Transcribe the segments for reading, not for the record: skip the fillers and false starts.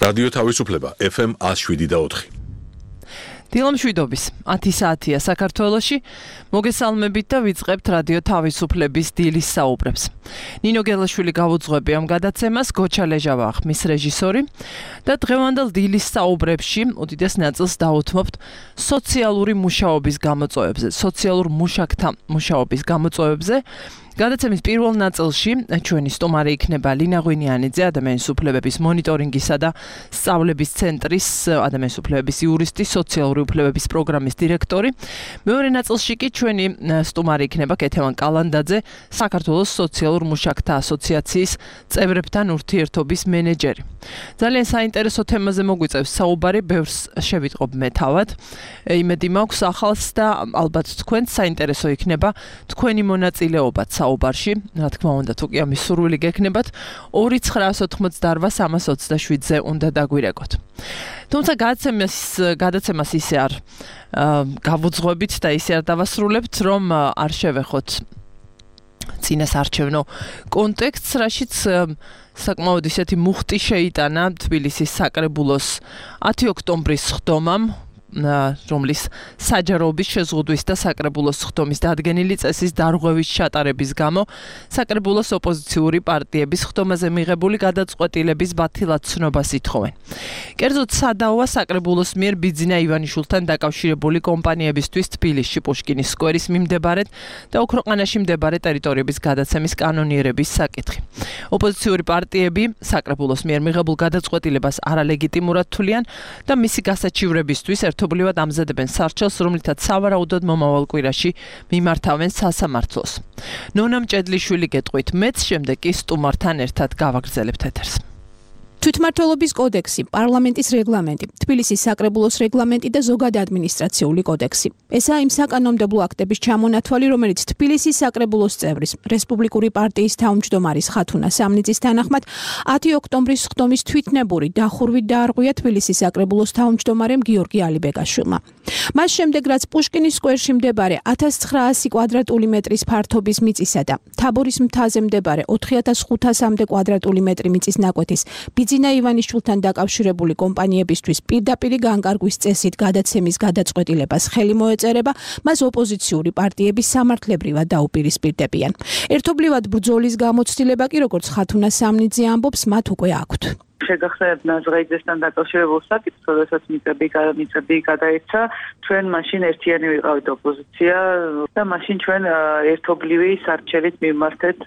რადიო თავისუფლება FM 107.4. დილამშვიდობის 10 საათია საქართველოში. მოგესალმებით და ვიწყებთ რადიო თავისუფლების დილის საუბრებს. ნინო გელაშვილი გავუძღვები ამ გადაცემას, გოჩა ლეჟავა ხმის რეჟისორი და დღევანდელ დილის საუბრებში უდიდეს ნაწილს დაუთმობთ სოციალური მუშაობის გამოწვევებზე, სოციალურ მუშაკთა მუშაობის გამოწვევებზე. გადაცემის პირველ ნაწილში ჩვენი სტუმარი იქნება ლინა ღვინიანიძე, ადამიანის უფლებების მონიტორინგისა და სწავლების ცენტრის ადამიანის უფლებების იურისტი, სოციალური უფლებების პროგრამის დირექტორი. მეორე ნაწილში კი ჩვენი სტუმარი იქნება კეთევან კალანდაძე, საქართველოს სოციალურ მუშაკთა ასოციაციის წევრებთან ურთიერთობის მენეჯერი. ძალიან საინტერესო თემაზე მოგვიწევს საუბარი, ბევრს შევიტყობ მე თავად. იმედი მაქვს ახალს და ალბათ თქვენც საინტერესო იქნება თქვენი მონაწილეობა საუბარში, რა თქმა უნდა, თუ კი ამის სურვილი გექნებათ, 2-928-327-ზე უნდა დაგვირეკოთ. თუმცა გადაცემას ისე არ გავუძღვებით და ისე არ დავასრულებთ, რომ არ შევეხოთ წინასარჩევნო კონტექსტს, რაშიც საკმაოდ ისეთი მუხტი შეიტანა თბილისის საკრებულოს 10 ოქტომბრის სხდომამ, რომლის საჯაროობის შეზღუდვის და საკრებულოს სხდომის დადგენილი წესის დარღვევის ჩატარების გამო საკრებულოს ოპოზიციური პარტიების სხდომაზე მიღებული გადაწყვეტილების ბათილად ცნობას ითხოვენ. კერძოდ სადაოა საკრებულოს მიერ ბიძინა ივანიშვილთან დაკავშირებული კომპანიებისთვის თბილისში პუშკინის სკვერის მიმდებარედ და ოქროყანაში მდებარე ტერიტორიების გადაცემის კანონიერების საკითხი. ოპოზიციური პარტიები საკრებულოს მიერ მიღებულ გადაწყვეტილებას არალეგიტიმურად თვლიან და მისი გასაჩივრებისთვის ერთობლივად ამზადებენ სარჩელს, რომლითაც სავარაუდოდ მომავალ კვირაში მიმართავენ სასამართლოს. ნონა მჭედლიშვილი გეტყვით მეც, შემდეგ კი სტუმართან ერთად გავაგრძელებთ ეთერს. თვითმმართველობის კოდექსი, პარლამენტის რეგლამენტი, თბილისის საკრებულოს რეგლამენტი და ზოგადი ადმინისტრაციული კოდექსი. ესაა იმ საკანონმდებლო აქტების ჩამონათვალი, რომელიც თბილისის საკრებულოს წევრის, რესპუბლიკური პარტიის თავმჯდომარის ხათუნა სამნიძის თანახმად 10 ოქტომბრის სხდომის თვითნებური დახურვით დაარღვია თბილისის საკრებულოს თავმჯდომარემ გიორგი ალიბეგაშვილმა. მას შემდეგ, რაც პუშკინის სკვერში მდებარე 1900 კვადრატული მეტრის ფართობის მიწისა და თაბორის მთაზე მდებარე 4500-მდე კვადრატული მეტრი მიწის ნაკვეთის ბიძინა ივანიშვილთან დაკავშირებული კომპანიებისთვის პირდაპირი განკარგვის წესით გადაცემის გადაწყვეტილებას ხელი მოეწერება, მას ოპოზიციური პარტიები სამართლებრივად დაუპირისპირდებიან. ერთობლივად ბრძოლის გამოცდილება კი, როგორც ხათუნა სამნიძე ამბობს, მათ უკვე აქვთ. შეგახსენებთ ნაზღაიძესთან დაკავშირებულ საკითხს, როდესაც მიწები გადაეცა, ჩვენ მაშინ ერთიანი ვიყავით ოპოზიცია და მაშინ ჩვენ ერთობლივი სარჩელით მიმართეთ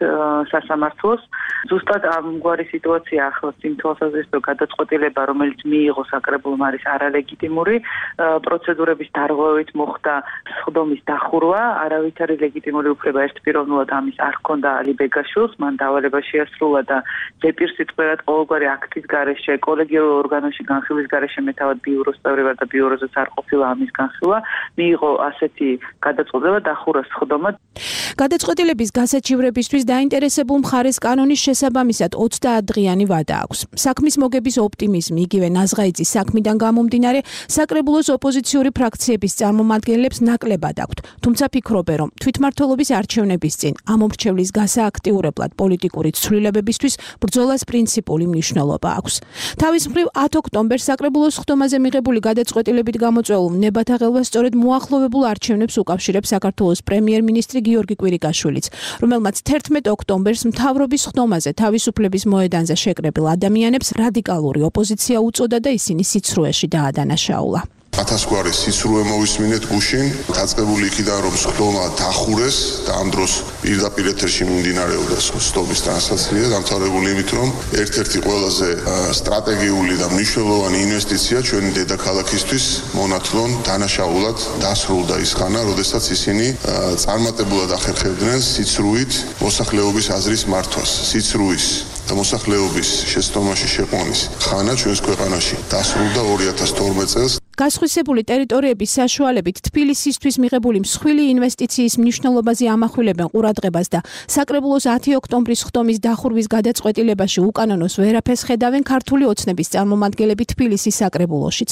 სასამართლოს. ზუსტად ამგვარი სიტუაცია ახლაც იმ თვალსაზრისით, რომ გადაწყვეტილება, რომელიც მიიღო საკრებულომ, არის არალეგიტიმური, პროცედურების დარღვევით მოხდა სხდომის დახურვა, არავითარი ლეგიტიმური უფლება ერთპიროვნულად ამის არ ჰქონდა ალიბეგაშვილს, მან დავალება შეასრულა და ზეპირსიტყვიერად ყოველგვარი აქტის გარეშე, კოლეგიურ ორგანოში განხილვის გარეშე მეთავად ბიუროს წევრი ვარ და ბიუროზეც არ ყოფილა ამის განხილვა, მიიღო ასეთი გადაწყვეტილება დახურა სხდომა. გადაწყვეტილების გასაჩივრებისთვის დაინტერესებულ მხარეს კანონის შესაბამისად 30 დღიანი ვადა აქვს. საქმის მოგების ოპტიმიზმი, იგივე ნაზღაიძის საქმიდან გამომდინარე, საკრებულოს ოპოზიციური ფრაქციების წარმომადგენლებს ნაკლებად აქვთ. თუმცა ფიქრობენ, რომ თვითმმართველობის არჩევნების წინ ამ მომრჩევლის გასააქტიურებლად პოლიტიკური ცვლილებებისთვის ბრძოლას პრინციპული მნიშვნელობა აქვს. თავის მხრივ 10 ოქტომბერს საკრებულოს სხდომაზე მიღებული გადაწყვეტილებით გამოწვეულ ნებათა ხელვას სწორედ მოახლოვებულ არჩევნებს უკავშირებს საქართველოს პრემიერ-მინისტრი გიორგი კვირიკაშვილიც, რომელმაც 11 ოქტომბერს მთავრობის სხდომაზე თავისუფლების მოედანზე შეკრებილ ადამიანებს რადიკალური ოპოზიცია უწოდა და ისინი სიცრუეში დაადანაშაულა. 1000 გვარი სიცრუე მოვისმინეთ გუშინ, დაწყებული იქიდან რომ სხდომა დახურეს და ამ დროს პირდაპირ ეთერში მიმდინარეობდა სხდომის ტრანსლაცია, დამთავრებული იმით, რომ ერთ-ერთი ყველაზე სტრატეგიული და მნიშვნელოვანი ინვესტიცია ჩვენი დედაქალაქისთვის მონათლონ დანაშაულად დასრულდა ის ხანა, როდესაც ისინი წარმატებულად ახერხებდნენ სიცრუით მოსახლეობის აზრის მართვას, სიცრუის და მოსახლეობის შეცდომაში შეყვანის ხანა ჩვენს ქვეყანაში დასრულდა 2012 წელს. გასხვისებული ტერიტორიების საშუალებით თბილისისთვის მიღებული მსხვილი ინვესტიციის მნიშვნელობაზე ამახვილებენ ყურადღებას და საკრებულოს 10 ოქტომბრის ხდომის დახურვის გადაწყვეტილებაში უკანონოს ვერაფერს ხედავენ ქართული ოცნების წარმომადგენლები თბილისის საკრებულოშიც.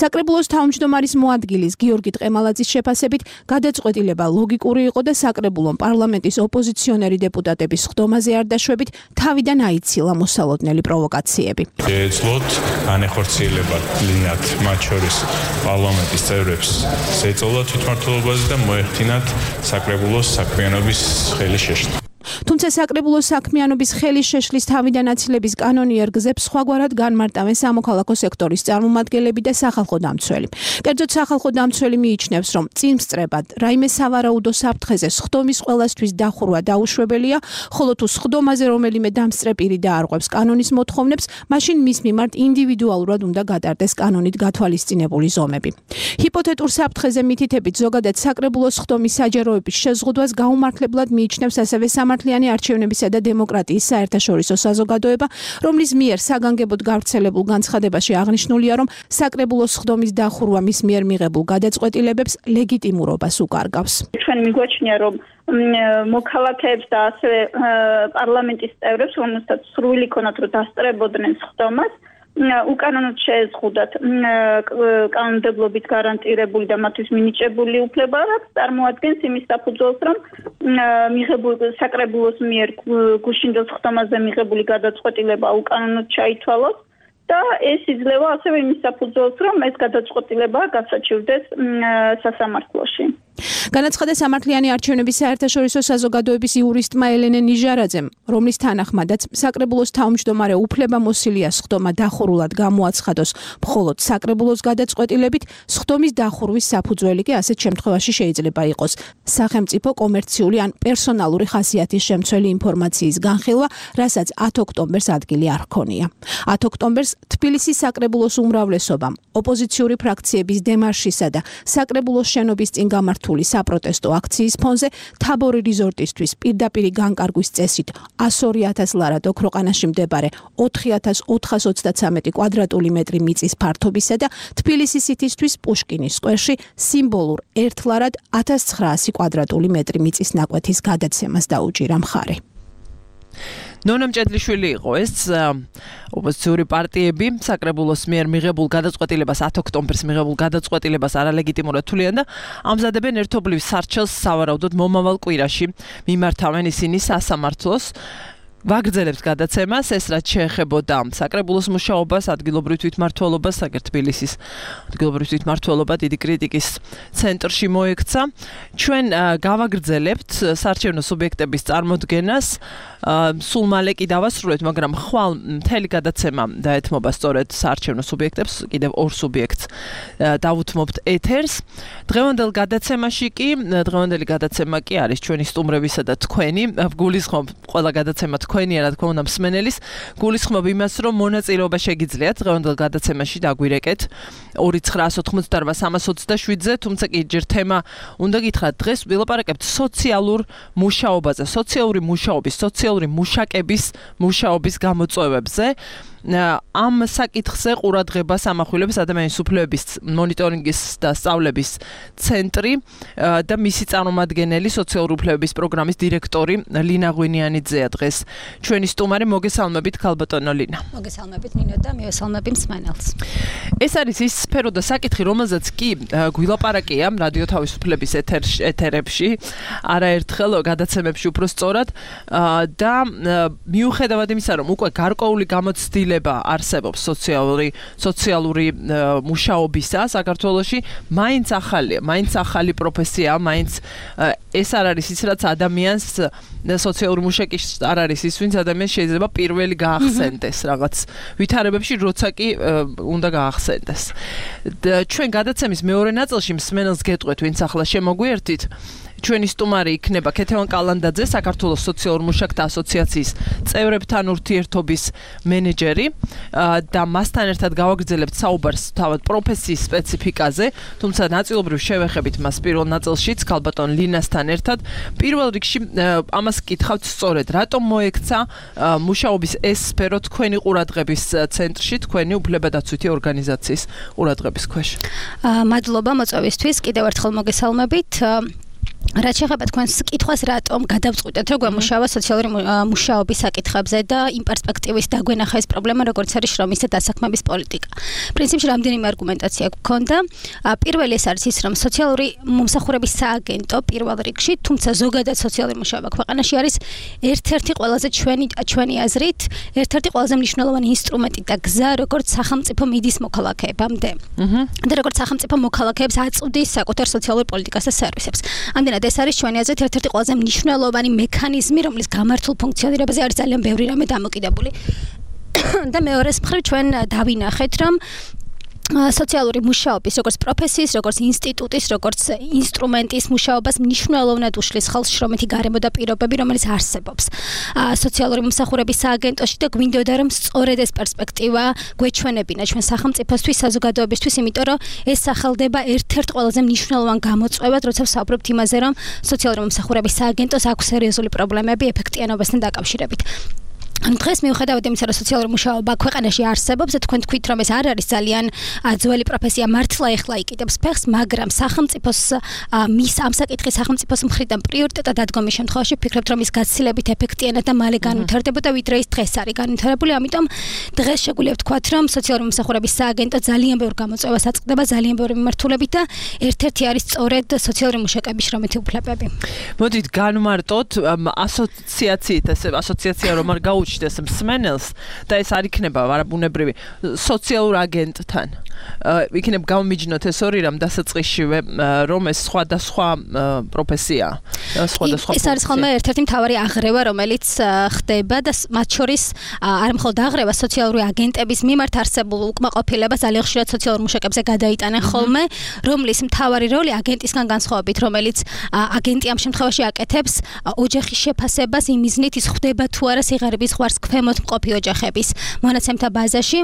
საკრებულოს თავმჯდომარის მოადგილის გიორგი ტყემალაძის შეფასებით გადაწყვეტილება ლოგიკური იყო და საკრებულომ პარლამენტის ოპოზიციონერი დეპუტატების ხდომაზე არ დაშვებით თავიდან აიცილა მოსალოდნელი პროვოკაციები. ეძლოთ განეხორციელება ლინიათ მათ შორის პარლამენტის წევრებს შეეწოლა თვითმმართველობაზე და მოეხდინათ საკრებულოს საქმიანობის ხელის შეშლა. თუმცა საკრებულოს საქმიანობის ხელის შეშლის თავიდან აცილების კანონიერ გზებს სხვაგვარად განმარტავენ სამოქალაქო სექტორის წარმომადგენლები და სახალხო დამცველი. კერძოდ სახალხო დამცველი მიიჩნევს, რომ წინსწრებად რაიმე სავარაუდო საფრთხეზე სხდომის ყველასთვის დახურვა დაუშვებელია, ხოლო თუ სხდომაზე რომელიმე დამსწრე პირი დაარღვევს კანონის მოთხოვნებს, მაშინ მის მიმართ ინდივიდუალურად უნდა გატარდეს კანონით გათვალისწინებული ზომები. ჰიპოთეტურ საფრთხეზე მითითებით ზოგადად საკრებულოს სხდომის საჯაროების შეზღუდვას გაუმართლებლად მიიჩნევს ასევე სამართლიანი არჩევნებისა და დემოკრატიის საერთაშორისო საზოგადოება, რომლის მიერ საგანგებოდ გავრცელებულ განცხადებაში აღნიშნულია, რომ საკრებულოს სხდომის დახურვა მის მიერ მიღებულ გადაწყვეტილებებს ლეგიტიმურობას უკარგავს. ჩვენ მიგვაჩნია, რომ მოქალაქეებს და ასევე პარლამენტის წევრებს, რომელთაც სრული ქონათ, რომ დასწრებოდნენ სხდომას, უკანონოდ შეეზღუდათ კანონმდებლობით გარანტირებული და მათთვის მინიჭებული უფლება, რაც წარმოადგენს იმის საფუძველს, რომ საკრებულოს მიერ გუშინდელ სხდომაზე მიღებული გადაწყვეტილება უკანონოდ ჩაითვალოს და ეს იძლევა ასევე იმის საფუძველს, რომ ეს გადაწყვეტილება გასაჩივრდეს სასამართლოში. განაცხადა სამართლიანი არჩევნების საერთაშორისო საზოგადოების იურისტმა ელენე ნიჟარაძემ, რომლის თანახმადაც საკრებულოს თავმჯდომარე უფლებამოსილია სხდომა დახურულად გამოაცხადოს მხოლოდ საკრებულოს გადაწყვეტილებით, სხდომის დახურვის საფუძველი კი ასეთ შემთხვევაში შეიძლება იყოს სახელმწიფო კომერციული ან პერსონალური ხასიათის შემცველი ინფორმაციის განხილვა, რასაც 10 ოქტომბერს ადგილი არ ჰქონია. 10 ოქტომბერს თბილისის საკრებულოს უმრავლესობამ ოპოზიციური ფრაქციების დემარშისა და საკრებულოს შენობის წინ გამართული საპროტესტო აქციის ფონზე თაბორი რიზორტისთვის პირდაპირი განკარგვის წესით 102,000 ლარად ოქროყანაში მდებარე 4,423 კვადრატული მეტრი მიწის ფართობისა და თბილისის სიტისთვის პუშკინის სკვერში სიმბოლურ 1 ლარად 1900 კვადრატული მეტრი მიწის ნაკვეთის გადაცემას დაუჭირა მხარი. ნონა მჭედლიშვილი იყო ეს ოპოზიციური პარტიები საკრებულოს მიერ მიღებულ გადაწყვეტილებას 10 ოქტომბერს მიღებულ გადაწყვეტილებას არალეგიტიმურად თვლიან და ამზადებენ ერთობლივ სარჩელს სავარაუდოდ მომავალ კვირაში მიმართავენ ისინი სასამართლოს ვაგრძელებს გადაცემას, ეს რაც შეეხებოდა საკრებულოს მუშაობას, ადგილობრივ თვითმმართველობას, აგერ თბილისის ადგილობრივ თვითმმართველობა დიდი κρიტიკის ცენტრში მოექცა. ჩვენ გავაგრძელებთ საარჩევნო სუბიექტების წარმოდგენას, სულ მალე კი დავასრულეთ, მაგრამ ხვალ მთელი გადაცემა დაეთმობა სწორედ საარჩევნო სუბიექტებს, კიდევ ორ სუბიექტს დავუთმობთ ეთერს. დღევანდელ დღევანდელი გადაცემა კი არის ჩვენი სტუმრებისა და თქვენი, გულისხმობ ყველა გადაცემა თქვენია, რა თქმა უნდა, მსმენელის, გულისხმობ იმას, რომ მონაწილეობა შეგიძლიათ დღევანდელ გადაცემაში დაგვირეკეთ 2988327-ზე, თუმცა კი ჯერ თემა უნდა გითხრათ, დღეს ვილაპარაკებთ სოციალურ მუშაობაზე, სოციალური მუშაკების მუშაობის გამოწვევებზე. ამ საკითხზე ყურადღებას ამახვილებს ადამიანის უფლებების მონიტორინგის და სწავლების ცენტრი და მისი წარმომადგენელი სოციალური უფლებების პროგრამის დირექტორი ლინა ღვინიანიძეა დღეს ჩვენი სტუმარი. მოგესალმებით ქალბატონო ლინა. მოგესალმებით ნინო და მივესალმები მსმენელს. ეს არის ის სფერო და საკითხი, რომელზეც კი გვილაპარაკია რადიო თავისუფლების ეთერებში, არაერთხელ გადაცემებში უფრო სწორად და მიუხედავად იმისა, რომ უკვე გარკვეული გამოცდილება არსებობს სოციალური მუშაობისა საქართველოში, მაინც ახალი პროფესია, მაინც ეს არ არის ის, რაც ადამიანს სოციალური მუშაკი არ არის ის, ვინც ადამიანს შეიძლება პირველი გაახსენდეს რაღაც ვითარებებში, როცა კი უნდა გაახსენდეს. ჩვენ გადაცემის მეორე ნაწილში მსმენელს გეტყვით, ვინც ახლა შემოგვიერთით, ჩვენი სტუმარი იქნება ქეთევან კალანდაძე, საქართველოს სოციალურ მუშაკთა ასოციაციის წევრებთან ურთიერთობის მენეჯერი და მასთან ერთად გავაგრძელებთ საუბარს თავად პროფესიის სპეციფიკაზე, თუმცა ნაწილობრივ შევეხებით მას პირველ ნაწილშიც ქალბატონ ლინასთან ერთად. პირველ რიგში ამას გითხავთ სწორედ, რატომ მოექცა მუშაობის ეს სფერო თქვენი ყურადღების ცენტრში, თქვენი უფლებადაცვითი ორგანიზაციის ყურადღების ქვეშ? მადლობა მოწვევისთვის, კიდევ ერთხელ მოგესალმებით. რაც შეეხება თქვენს კითხვას, რატომ გადავწყვიტეთ რომ გვემუშავა სოციალური მუშაობის საკითხებზე და იმ პერსპექტივის დაგვენახა ეს პრობლემა, როგორც არის შრომის და დასაქმების პოლიტიკა. პრინციპში რამდენიმე არგუმენტაცია გვქონდა. პირველი ეს არის ის, რომ სოციალური მომსახურების სააგენტო პირველ რიგში, თუმცა ზოგადად სოციალური მუშაობა ქვეყანაში არის ერთ-ერთი ყველაზე ჩვენი აზრით, ერთ-ერთი ყველაზე მნიშვნელოვანი ინსტრუმენტი და გზა, როგორც სახელმწიფო მიდის მოქალაქეებამდე. და როგორც სახელმწიფო მოქალაქეებს აწვდის საკუთარ სოციალურ პოლიტიკას და სერვისებს. ამდენად ეს არის ჩვენი აზრით ერთ-ერთი ყველაზე მნიშვნელოვანი მექანიზმი, რომლის გამართულ ფუნქციონირებაზე არის ძალიან ბევრი რამე დამოკიდებული. და მეორეს მხრივ ჩვენ დავინახეთ, რომ სოციალური მუშაობის, როგორც პროფესიის, როგორც ინსტიტუტის, როგორც ინსტრუმენტის მუშაობას მნიშვნელოვნად უშლის ხელს შრომითი გარემო და პირობები, რომელიც არსებობს სოციალური მომსახურების სააგენტოში და გვინდოდა რომ სწორედ ეს პერსპექტივა გვეჩვენებინა ჩვენ სახელმწიფოსთვის, საზოგადოებისთვის, იმიტომ რომ ეს სახელდება ერთ-ერთ ყველაზე მნიშვნელოვან გამოწვევად, როცა ვსაუბრობთ იმაზე, რომ სოციალური მომსახურების სააგენტოს აქვს სერიოზული პრობლემები ეფექტიანობასთან დაკავშირებით. დღეს მიუხედავად იმისა, რომ სოციალური მუშაობა ქვეყანაში არსებობს, თქვენ თქვით, რომ ეს არ არის ძალიან ძველი პროფესია, მართლა ეხლა იკიდებს ფეხს, მაგრამ სახელმწიფოს მის ამ საკითხის სახელმწიფოს მხრიდან პრიორიტეტად დადგომის შემთხვევაში ვფიქრებთ, რომ ის გაცილებით ეფექტიანად და მალე განვითარდებოდა, ვიდრე ის დღეს არის განვითარებული, ამიტომ დღეს შეგვიძლია ვთქვათ, რომ სოციალური მომსახურების სააგენტო ძალიან ბევრ გამოწვევას აწყდება, ძალიან ბევრი მიმართულებით და ერთ-ერთი არის სწორედ სოციალური მუშაკების შრომითი უფლებები. მოდით განვმარტოთ ასოციაციით, ასოციაცია რომ არ გაუჩნდეს მსმენელს და ეს არ იქნება არაბუნებრივი სოციალურ აგენტთან. იქნებ გამომიჯნოთ ეს ორი რამ დასაწყისშივე, რომ ეს სხვადასხვა პროფესია, სხვადასხვა. ეს არის ხოლმე ერთ-ერთი მთავარი აღრევა, რომელიც ხდება და მათ შორის არ მხოლოდ აღრევა სოციალური აგენტების მიმართ არსებულ უკმაყოფილებას ძალიან ხშირად სოციალურ მუშაკებზე გადაიტანენ ხოლმე, რომლის მთავარი როლი აგენტისგან განსხვავებით, რომელიც აგენტი ამ შემთხვევაში აკეთებს ოჯახის შეფასებას იმ მიზნით, ის ხვდება თუ არა სიღარიბის ხვარს ქვემოთ მყოფი ოჯახების მონაცემთა ბაზაში.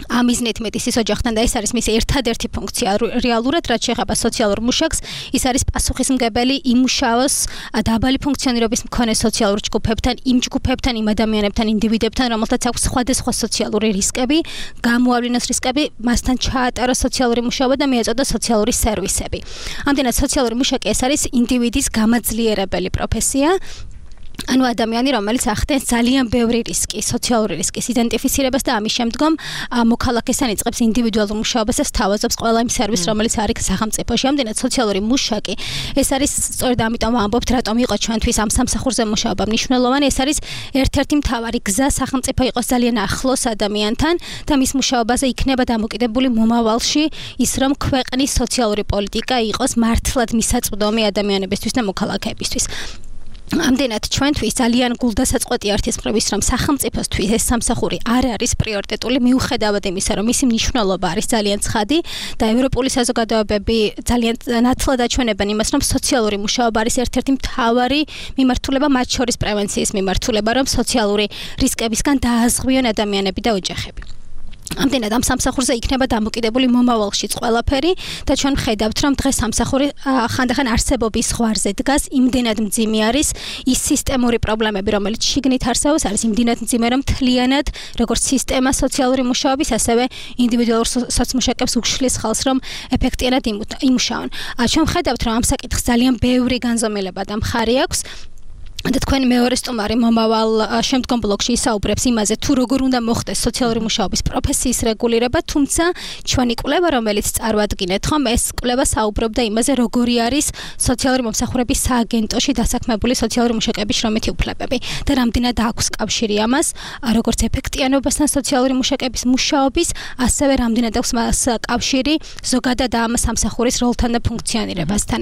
ამ მიზნით მეტის ის ოჯახთან და ეს არის მისი ერთადერთი ფუნქცია რეალურად, რაც შეეხება სოციალურ მუშაკს, ის არის პასუხისმგებელი იმუშაოს დაბალი ფუნქციონირების მქონე სოციალურ ჯგუფებთან, იმ ჯგუფებთან, იმ ადამიანებთან, ინდივიდებთან, რომელთაც აქვს სხვადასხვა სოციალური რისკები, გამოავლინოს რისკები, მასთან ჩაატაროს სოციალური მუშაობა და მიეწოდოს სოციალური სერვისები. ამდენად სოციალური მუშაკი ეს არის ინდივიდის გამაძლიერებელი პროფესია. ანუ ადამიანი, რომელიც ახდენს ძალიან ბევრი რისკი, სოციალური რისკის იდენტიფიცირებას და ამის შემდგომ მოქალაქესთან იწყებს ინდივიდუალურ მუშაობას და სთავაზობს ყველა იმ სერვისს, რომელიც არის სახელმწიფოში. ამდენად სოციალური მუშაკი ეს არის სწორედ ამიტომ ვამბობთ, რატომ იყო ჩვენთვის ამ სამსახურზე მუშაობა მნიშვნელოვანი. ეს არის ერთ-ერთი მთავარი გზა სახელმწიფო იყოს ძალიან ახლოს ადამიანთან და მის მუშაობაზე იქნება დამოკიდებული მომავალში ის, რომ ქვეყნის სოციალური პოლიტიკა იყოს მართლად მისაწვდომი ადამიანებისთვის და მოქალაქეებისთვის. ამდენად ჩვენთვის ძალიან გულდასაწყვეტი არის ის, რომ სახელმწიფოსთვის ეს სამსახური არ არის პრიორიტეტული, მიუხედავად იმისა, რომ მისი მნიშვნელობა არის ძალიან ცხადი და ევროპული საზოგადოებები ძალიან ნათლად აჩვენებენ იმას, რომ სოციალური მუშაობა არის ერთ-ერთი მთავარი მიმართულება, მათ შორის პრევენციის მიმართულება, რომ სოციალური რისკებისგან დააზღვიონ ადამიანები და ოჯახები. ამდენად ამ სამსახურზე იქნება დამოკიდებული მომავალშიც ყველაფერი და ჩვენ ვხედავთ, რომ დღეს სამსახური ხანდახან არსებობის ზღვარზე დგას, იმდენად მძიმე არის ის სისტემური პრობლემები, რომელიც შიგნით არსებობს, არის იმდენად მძიმე, რომ მთლიანად როგორც სისტემა სოციალური მუშაობის, ასევე ინდივიდუალურ სოციმუშაკებს უშლის ხალხს, რომ ეფექტიანად იმუშაონ. ჩვენ ვხედავთ, რომ ამ საკითხს ძალიან ბევრი განზომილება და მხარი აქვს. და თქვენ მეორე სტუმარი მომავალ შემდგომ ბლოკში ისაუბრებს იმაზე, თუ როგორ უნდა მოხდეს სოციალური მუშაობის პროფესიის რეგულირება, თუმცა ჩვენი კვლევა, რომელიც წარვადგინეთ, ხომ ეს კვლევა საუბრობდა იმაზე, როგორი არის სოციალური მომსახურების სააგენტოში დასაქმებული სოციალური მუშაკების შრომითი უფლებები და რამდენად აქვს კავშირი ამას, როგორც ეფექტიანობასთან სოციალური მუშაკების მუშაობის, ასევე რამდენად აქვს მას კავშირი ზოგადად ამ სამსახურის როლთან და ფუნქციონირებასთან.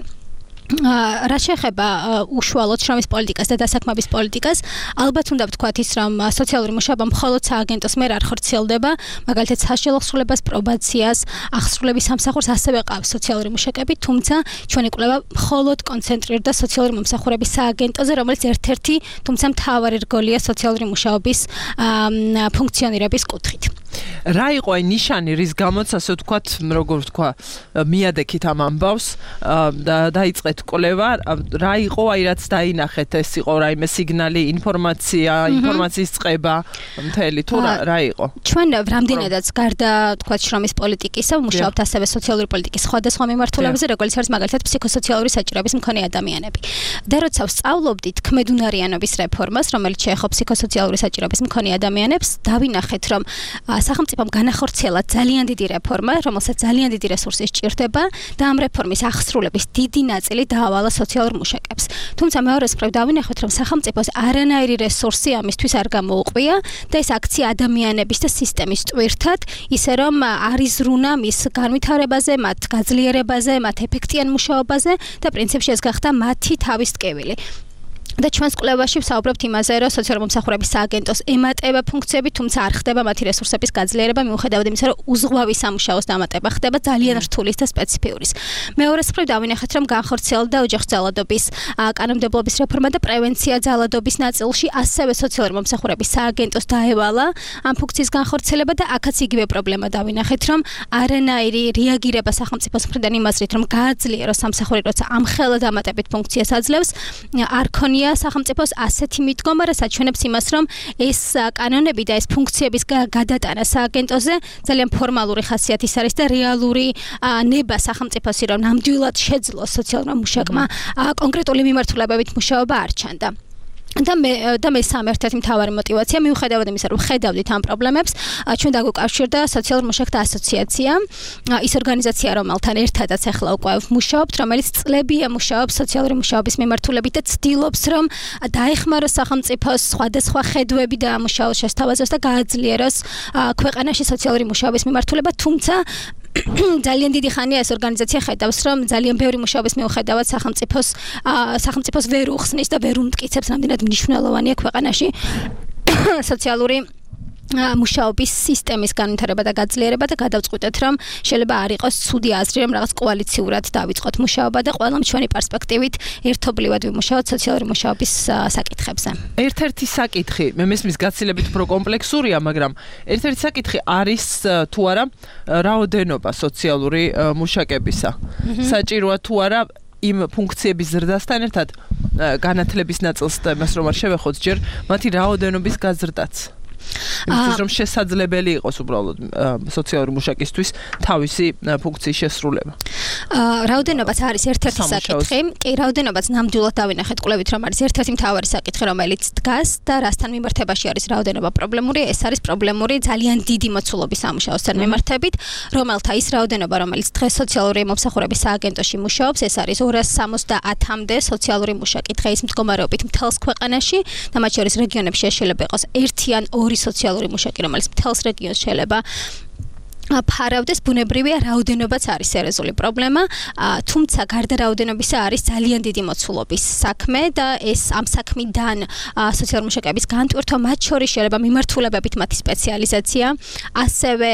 რა შეეხება უშუალოდ შრომის პოლიტიკას და დასაქმების პოლიტიკას, ალბათ უნდა ვთქვათ ის, რომ სოციალური მუშაობა მხოლოდ სააგენტოს მიერ არ ხორციელდება, მაგალითად საშუალო აღსრულებას, პრობაციას, აღსრულების სამსახურს ასევე ყავს სოციალური მუშაკები, თუმცა ჩვენი კვლევა მხოლოდ კონცენტრირდა სოციალური მომსახურების სააგენტოზე, რომელიც ერთ-ერთი, თუმცა მთავარი რგოლია სოციალური მუშაობის ფუნქციონირების კუთხით. რა იყო აი ნიშანი, რის გამოც ასე ვთქვათ, როგორ ვთქვა, მიადექით ამ ამბავს და დაიწყეთ კვლევა, რა იყო აი რაც დაინახეთ, ეს იყო რაიმე სიგნალი, ინფორმაციის წყება, მთელი თუ რა იყო? ჩვენ რამდენადაც გარდა ვთქვათ შრომის პოლიტიკისა, ვმუშაობთ ასევე სოციალური პოლიტიკის სხვადასხვა მიმართულებებზე, როგორც არის მაგალითად ფსიქოსოციალური საჭიროების მქონე ადამიანები. და როცა ვსწავლობდით ქმედუნარიანობის რეფორმას, რომელიც შეეხო ფსიქოსოციალური საჭიროების მქონე ადამიანებს, დავინახეთ, რომ სახელმწიფომ განახორციელა ძალიან დიდი რეფორმა, რომელსაც ძალიან დიდი რესურსი სჭირდება და ამ რეფორმის აღსრულების დიდი ნაწილი დაავალა სოციალურ მუშაკებს. თუმცა მეორეს მხრივ დავინახეთ, რომ სახელმწიფოს არანაირი რესურსი ამისთვის არ გამოუყია და ეს აქცია ადამიანების და სისტემის ტვირთად, ისე რომ არის ზრუნა მის განვითარებაზე, მათ გაძლიერებაზე, მათ ეფექტიან მუშაობაზე და პრინციპში ეს გახდა მათი თავის ტკივილი. და ჩვენს კვლევაში ვსაუბრობთ იმაზე, რომ სოციალური მომსახურების სააგენტოს ემატება ფუნქციები, თუმცა არ ხდება მათი რესურსების გაძლიერება, მიუხედავად იმისა, რომ უზღვავი სამუშაოს დამატება ხდება ძალიან რთულის და სპეციფიურის. მეორეს მხრივ დავინახეთ, რომ განხორციელდა ოჯახის ძალადობის კანონმდებლობის რეფორმა და პრევენცია ძალადობის ნაწილში ასევე სოციალური მომსახურების სააგენტოს დაევალა ამ ფუნქციის განხორციელება და აქაც იგივე პრობლემა დავინახეთ, რომ არანაირი რეაგირება სახელმწიფოს მხრიდან იმაზრით, რომ გააძლიეროს სამსახური, როცა ამხელა დამატებით ფუნქციას აძლევს, არ ქონია სახელმწიფოს ასეთი მიდგომა, რაც აჩვენებს იმას, რომ ეს კანონები და ეს ფუნქციების გადატანა სააგენტოზე ძალიან ფორმალური ხასიათის არის და რეალური ნება სახელმწიფოსი, რომ ნამდვილად შეძლოს სოციალურმა მუშაკმა კონკრეტული მიმართულებებით მუშაობა არ ჩანდა. და მესამე ერთ-ერთი მთავარი мотиваცია, მიუხედავად იმისა, რომ ხედავდით ამ პრობლემებს, ჩვენ დაგვიკავშირდა სოციალურ მუშაკთა ასოციაცია, ის ორგანიზაცია, რომელთან ერთადაც ახლა უკვე ვმუშაობთ, რომელიც წლებია მუშაობს სოციალური მუშაობის მიმართულებით და ცდილობს, რომ დაეხმაროს სახელმწიფოს სხვადასხვა ხედვები და ამუშავოს შესთავაზოს და გააძლიეროს ქვეყანაში სოციალური მუშაობის მიმართულება, თუმცა ძალიან დიდი ხანია ეს ორგანიზაცია ხედავს, რომ ძალიან ბევრი მუშაობის მიუხედავად სახელმწიფოს ვერ უხსნის და ვერ უმტკიცებს, რამდენად მნიშვნელოვანია ქვეყანაში სოციალური მუშაობის სისტემის განვითარება და გაძლიერება და გადავწყვიტეთ, რომ შეიძლება არ იყოს ცუდი აზრი, რომ რაღაც კოალიციურად დავიწყოთ მუშაობა და ყველა ჩვენი პერსპექტივით ერთობლივად ვიმუშაოთ სოციალური მუშაობის საკითხებზე. ერთ-ერთი საკითხი, მე მესმის გაცილებით უფრო კომპლექსურია, მაგრამ ერთ-ერთი საკითხი არის თუ არა რაოდენობა სოციალური მუშაკებისა. საჭიროა თუ არა იმ ფუნქციების ზრდასთან ერთად განათლების ნაწილს და მას რომ არ შევეხოთ ჯერ მათი რაოდენობის გაზრდაც. იმისთვის რომ შესაძლებელი იყოს უბრალოდ სოციალური მუშაკისთვის თავისი ფუნქციის შესრულება. რაოდენობაც არის ერთ-ერთი საკითხი. კი, რაოდენობაც ნამდვილად დავინახეთ კვლევით, რომ არის ერთ-ერთი მთავარი საკითხი, რომელიც დგას და რასთან მიმართებაში არის რაოდენობა პრობლემური, ეს არის პრობლემური ძალიან დიდი მოცულობის სამუშაოსთან მიმართებით, რომელთა ის რაოდენობა, რომელიც დღეს სოციალური მომსახურების სააგენტოში მუშაობს, ეს არის 270-მდე სოციალური მუშაკი დღეის მდგომარეობით მთელს ქვეყანაში და მათ შორის რეგიონებში შეიძლება იყოს ერთი ან ორი სოციალური მუშაკი, რომელიც მთელს რეგიონს შეიძლება ფარავდეს, ბუნებრივია რაოდენობაც არის სერიოზული პრობლემა, თუმცა გარდა რაოდენობისა არის ძალიან დიდი მოცულობის საქმე და ეს ამ საქმიდან სოციალური მუშაკების განტვირთვა, მათ შორის შეიძლება მიმართულებებით მათი სპეციალიზაცია, ასევე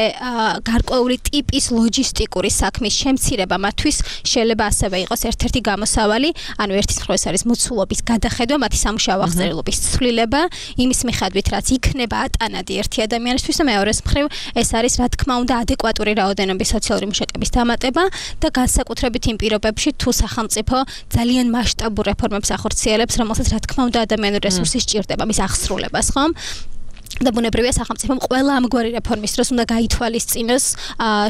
გარკვეული ტიპის ლოჯისტიკური საქმის შემცირება მათთვის შეიძლება ასევე იყოს ერთ-ერთი გამოსავალი, ანუ ერთის მხრივ ეს არის მოცულობის გადახედვა, მათი სამუშაო აღწერილობის ცვლილება, იმის მიხედვით რაც იქნება ატანადი ერთი ადამიანისთვის და მეორეს მხრივ ეს არის რა თქმა უნდა ადეკვატური რაოდენობის სოციალური მუშაკების დამატება და განსაკუთრებით იმ პირობებში თუ სახელმწიფო ძალიან მასშტაბურ რეფორმებს ახორციელებს, რომელსაც რა თქმა უნდა ადამიანური რესურსი სჭირდება მის აღსრულებას, ხომ? და ბუნებრივია სახელმწიფომ ყველა ამგვარი რეფორმის დროს უნდა გაითვალისწინოს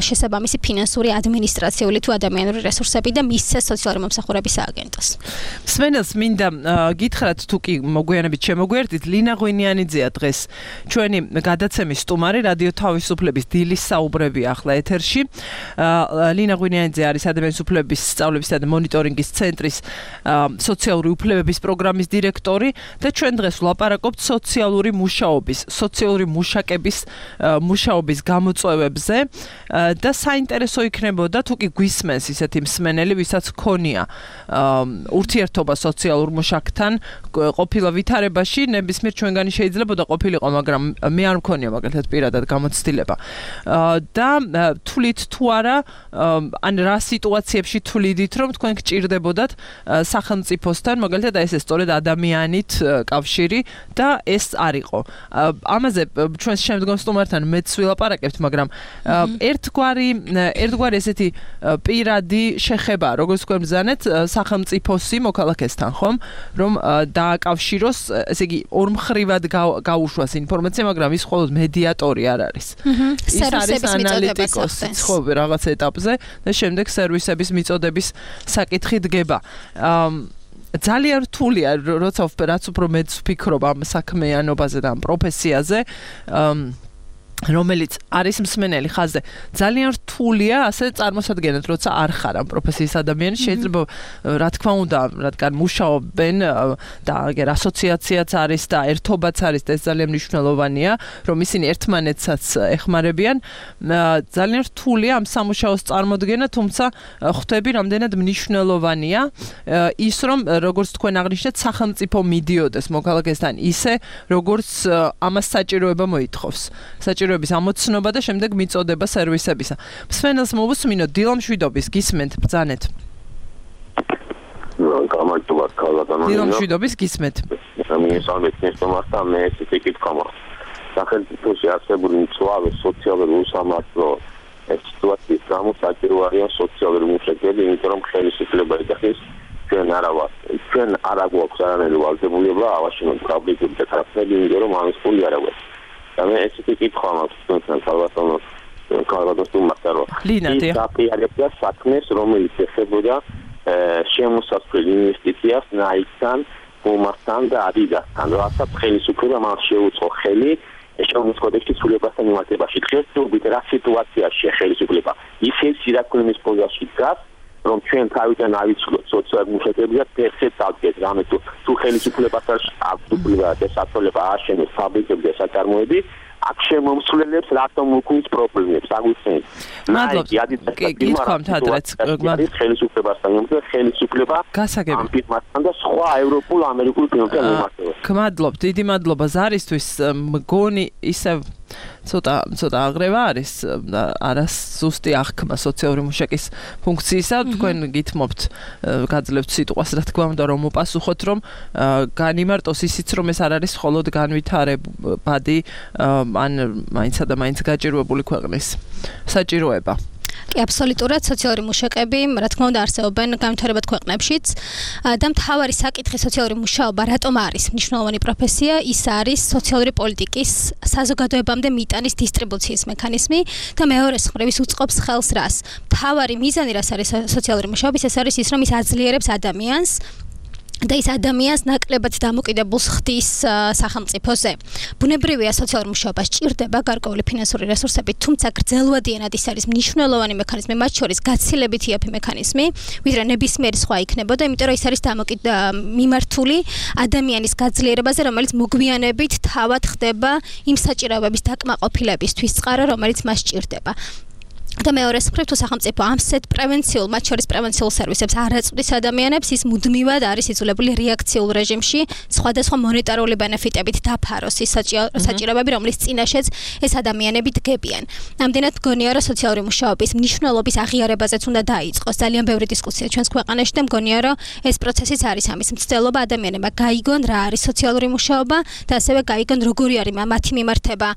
შესაბამისი ფინანსური, ადმინისტრაციული თუ ადამიანური რესურსები და მისცეს სოციალური მომსახურების სააგენტოს. მსმენელს მინდა გითხრათ, თუ კი მოგვიანებით შემოგვიერთდით, ლინა ღვინიანიძეა დღეს ჩვენი გადაცემის სტუმარი, რადიო თავისუფლების დილის საუბრები ახლა ეთერში. ლინა ღვინიანიძე არის ადამიანის უფლებების სწავლებისა და მონიტორინგის ცენტრის სოციალური უფლებების პროგრამის დირექტორი და ჩვენ დღეს ვლაპარაკობთ სოციალური მუშაობის სოციალური მუშაკების მუშაობის გამოწვევებზე და საინტერესო იქნებოდა თუ კი გვისმენს ისეთი მსმენელი, ვისაც ქონია ურთიერთობა სოციალურ მუშაკთან ყოფილა ვითარებაში, ნებისმიერ ჩვენგანი შეიძლებოდა ყოფილიყო, მაგრამ მე არ მქონია მაგალითად პირადად გამოცდილება. და თვლით თუ არა, ან რა სიტუაციებში თვლიდით, რომ თქვენ გჭირდებოდათ სახელმწიფოსთან, მაგალითად ეს სწორედ ადამიანით კავშირი და ეს არ იყო. ამაზე ჩვენს შემდგომ სტუმართან მეც ვილაპარაკებთ, მაგრამ ერთგვარი ესეთი პირადი შეხება, როგორც თქვენ ბრძანეთ, სახელმწიფოსი მოქალაქესთან, ხომ? რომ დააკავშიროს, ესე იგი, ორმხრივად გაუშვას ინფორმაცია, მაგრამ ის მხოლოდ მედიატორი არ არის. ის არის ანალიტიკოსი, ხო, რაღაც ეტაპზე და შემდეგ სერვისების მიწოდების საკითხი დგება. ძალიან რთულია, როცა რაც უფრო მეც ვფიქრობ ამ საქმიანობაზე და ამ პროფესიაზე, რომელიც არის მსმენელი ხაზზე, ძალიან რთულია ასე წარმოსადგენთ, როცა არ ხარ ამ პროფესიის ადამიანი, შეიძლება რა თქმა უნდა, რადგან მუშაობენ და აგერ ასოციაციაც არის და ერთობაც არის და ეს ძალიან მნიშვნელოვანია, რომ ისინი ერთმანეთსაც ეხმარებიან, ძალიან რთულია ამ სამუშაოს წარმოდგენა, თუმცა ხვდები, რამდენად მნიშვნელოვანია ის, რომ როგორც თქვენ აღნიშნეთ, სახელმწიფო მიდიოდეს მოქალაქესთან ისე, როგორც ამას საჭიროება მოითხოვს. საჭიროების ამოცნობა და შემდეგ მიწოდება სერვისებისა. მსმენელს მოვუსმინოთ, დილა მშვიდობის, გისმენთ, ბრძანეთ. გამარჯობა, ქალბატონო. დილა მშვიდობის, გისმენთ. მიესალმეთ ნესტომართან, მე ესეთი კითხვა მაქვს. სახელმწიფოში არსებული მწვავე სოციალური უსამართლო სიტუაციის გამო საჭირო არიან სოციალური მუშაკები, იმიტომ რომ ხელისუფლება იდახის ჩვენ არ აგვაქვს არანაირი ვალდებულება ავაშენოთ ფაბრიკები და ტრაქტორები, იმიტომ რომ ამის ფული არ აგვაქვს. და მე ესეთი კითხვა მაქვს თქვენთან, ქალბატონოს სტუმართან, რომ ის აპიარებდა საქმეს, რომელიც ეხებოდა შემოსასვლელ ინვესტიციას ნაიქთან, ფუმასთან და ადიდასთან, რასაც ხელისუფლება მას შეუწყო ხელი ეკონომიკის კოდექსის ცვლილებასთან მიმართებაში. დღეს თურმე რა სიტუაციაში ხელისუფლება ისე სირაკულების პოზიციაში დგას, რომ ჩვენ თავიდან ავიცვლოთ სოციალურ მუშაკებს და ფეხზე წავდგეთ, რამე თუ ხელისუფლებასაც აქვს უფლება და საწოლება ააშენოს ფაბრიკები და საწარმოები, აქ შემომსვლელებს რატომ უქმნის პრობლემებს, აგვიხსენეთ. გითხოვთ ადრეც, ხელისუფლებასთან და ხელისუფლება ამ ფირმასთან და სხვა ევროპულ ამერიკულ ფირმებთან მიმართება. გმადლობთ, დიდი მადლობა ზარისთვის, მგონი ისევ ცოტა აღრევა არის და არას ზუსტი აღქმა სოციალური მუშაკის ფუნქციისა. თქვენ გითმობთ, გაძლევთ სიტყვას, რა თქმა უნდა, რომ უპასუხოთ, რომ განიმარტოს ისიც, რომ ეს არ არის მხოლოდ განვითარებადი ან მაინცსა და მაინც გაჭირვებული ქვეყნის საჭიროება. კი, აბსოლუტურად სოციალური მუშაკები, რა თქმა უნდა, არსებობენ განვითარებად ქვეყნებშიც და მთავარი საკითხი სოციალური მუშაობა რატომ არის მნიშვნელოვანი პროფესია, ის არის სოციალური პოლიტიკის საზოგადოებამდე მიტანის დისტრიბუციის მექანიზმი და მეორეს მხრივ ის უწყობს ხელს რას. მთავარი მიზანი რას არის სოციალური მუშაობის, ეს არის ის, რომ ის აძლიერებს ადამიანს და ის ადამიანს ნაკლებად დამოკიდებულს ხდის სახელმწიფოზე. ბუნებრივია სოციალურ მუშაობას ჭირდება გარკვეული ფინანსური რესურსები, თუმცა გრძელვადიანად ის არის მნიშვნელოვანი მექანიზმი, მათ შორის გაცილებით იაფი მექანიზმი, ვიდრე ნებისმიერი სხვა იქნებოდა, იმიტომ რომ ის არის მიმართული ადამიანის გაძლიერებაზე, რომელიც მოგვიანებით თავად ხდება იმ საჭიროებების დაკმაყოფილებისთვის წყარო, რომელიც მას ჭირდება. და მეორე მხრივ თუ სახელმწიფო ამსეთ პრევენციულ, მათ შორის პრევენციულ სერვისებს არ აწვდის ადამიანებს, ის მუდმივად არის იძულებული რეაქციულ რეჟიმში სხვადასხვა მონეტარული ბენეფიტებით დაფაროს ის საჭიროებები, რომლის წინაშეც ეს ადამიანები დგებიან. ამდენად მგონია, რომ სოციალური მუშაობის მნიშვნელობის აღიარებაზეც უნდა დაიწყოს ძალიან ბევრი დისკუსია ჩვენს ქვეყანაში და მგონია, რომ ეს პროცესიც არის ამის მცდელობა, ადამიანებმა გაიგონ რა არის სოციალური მუშაობა და ასევე გაიგონ როგორი არის მათი მიმართება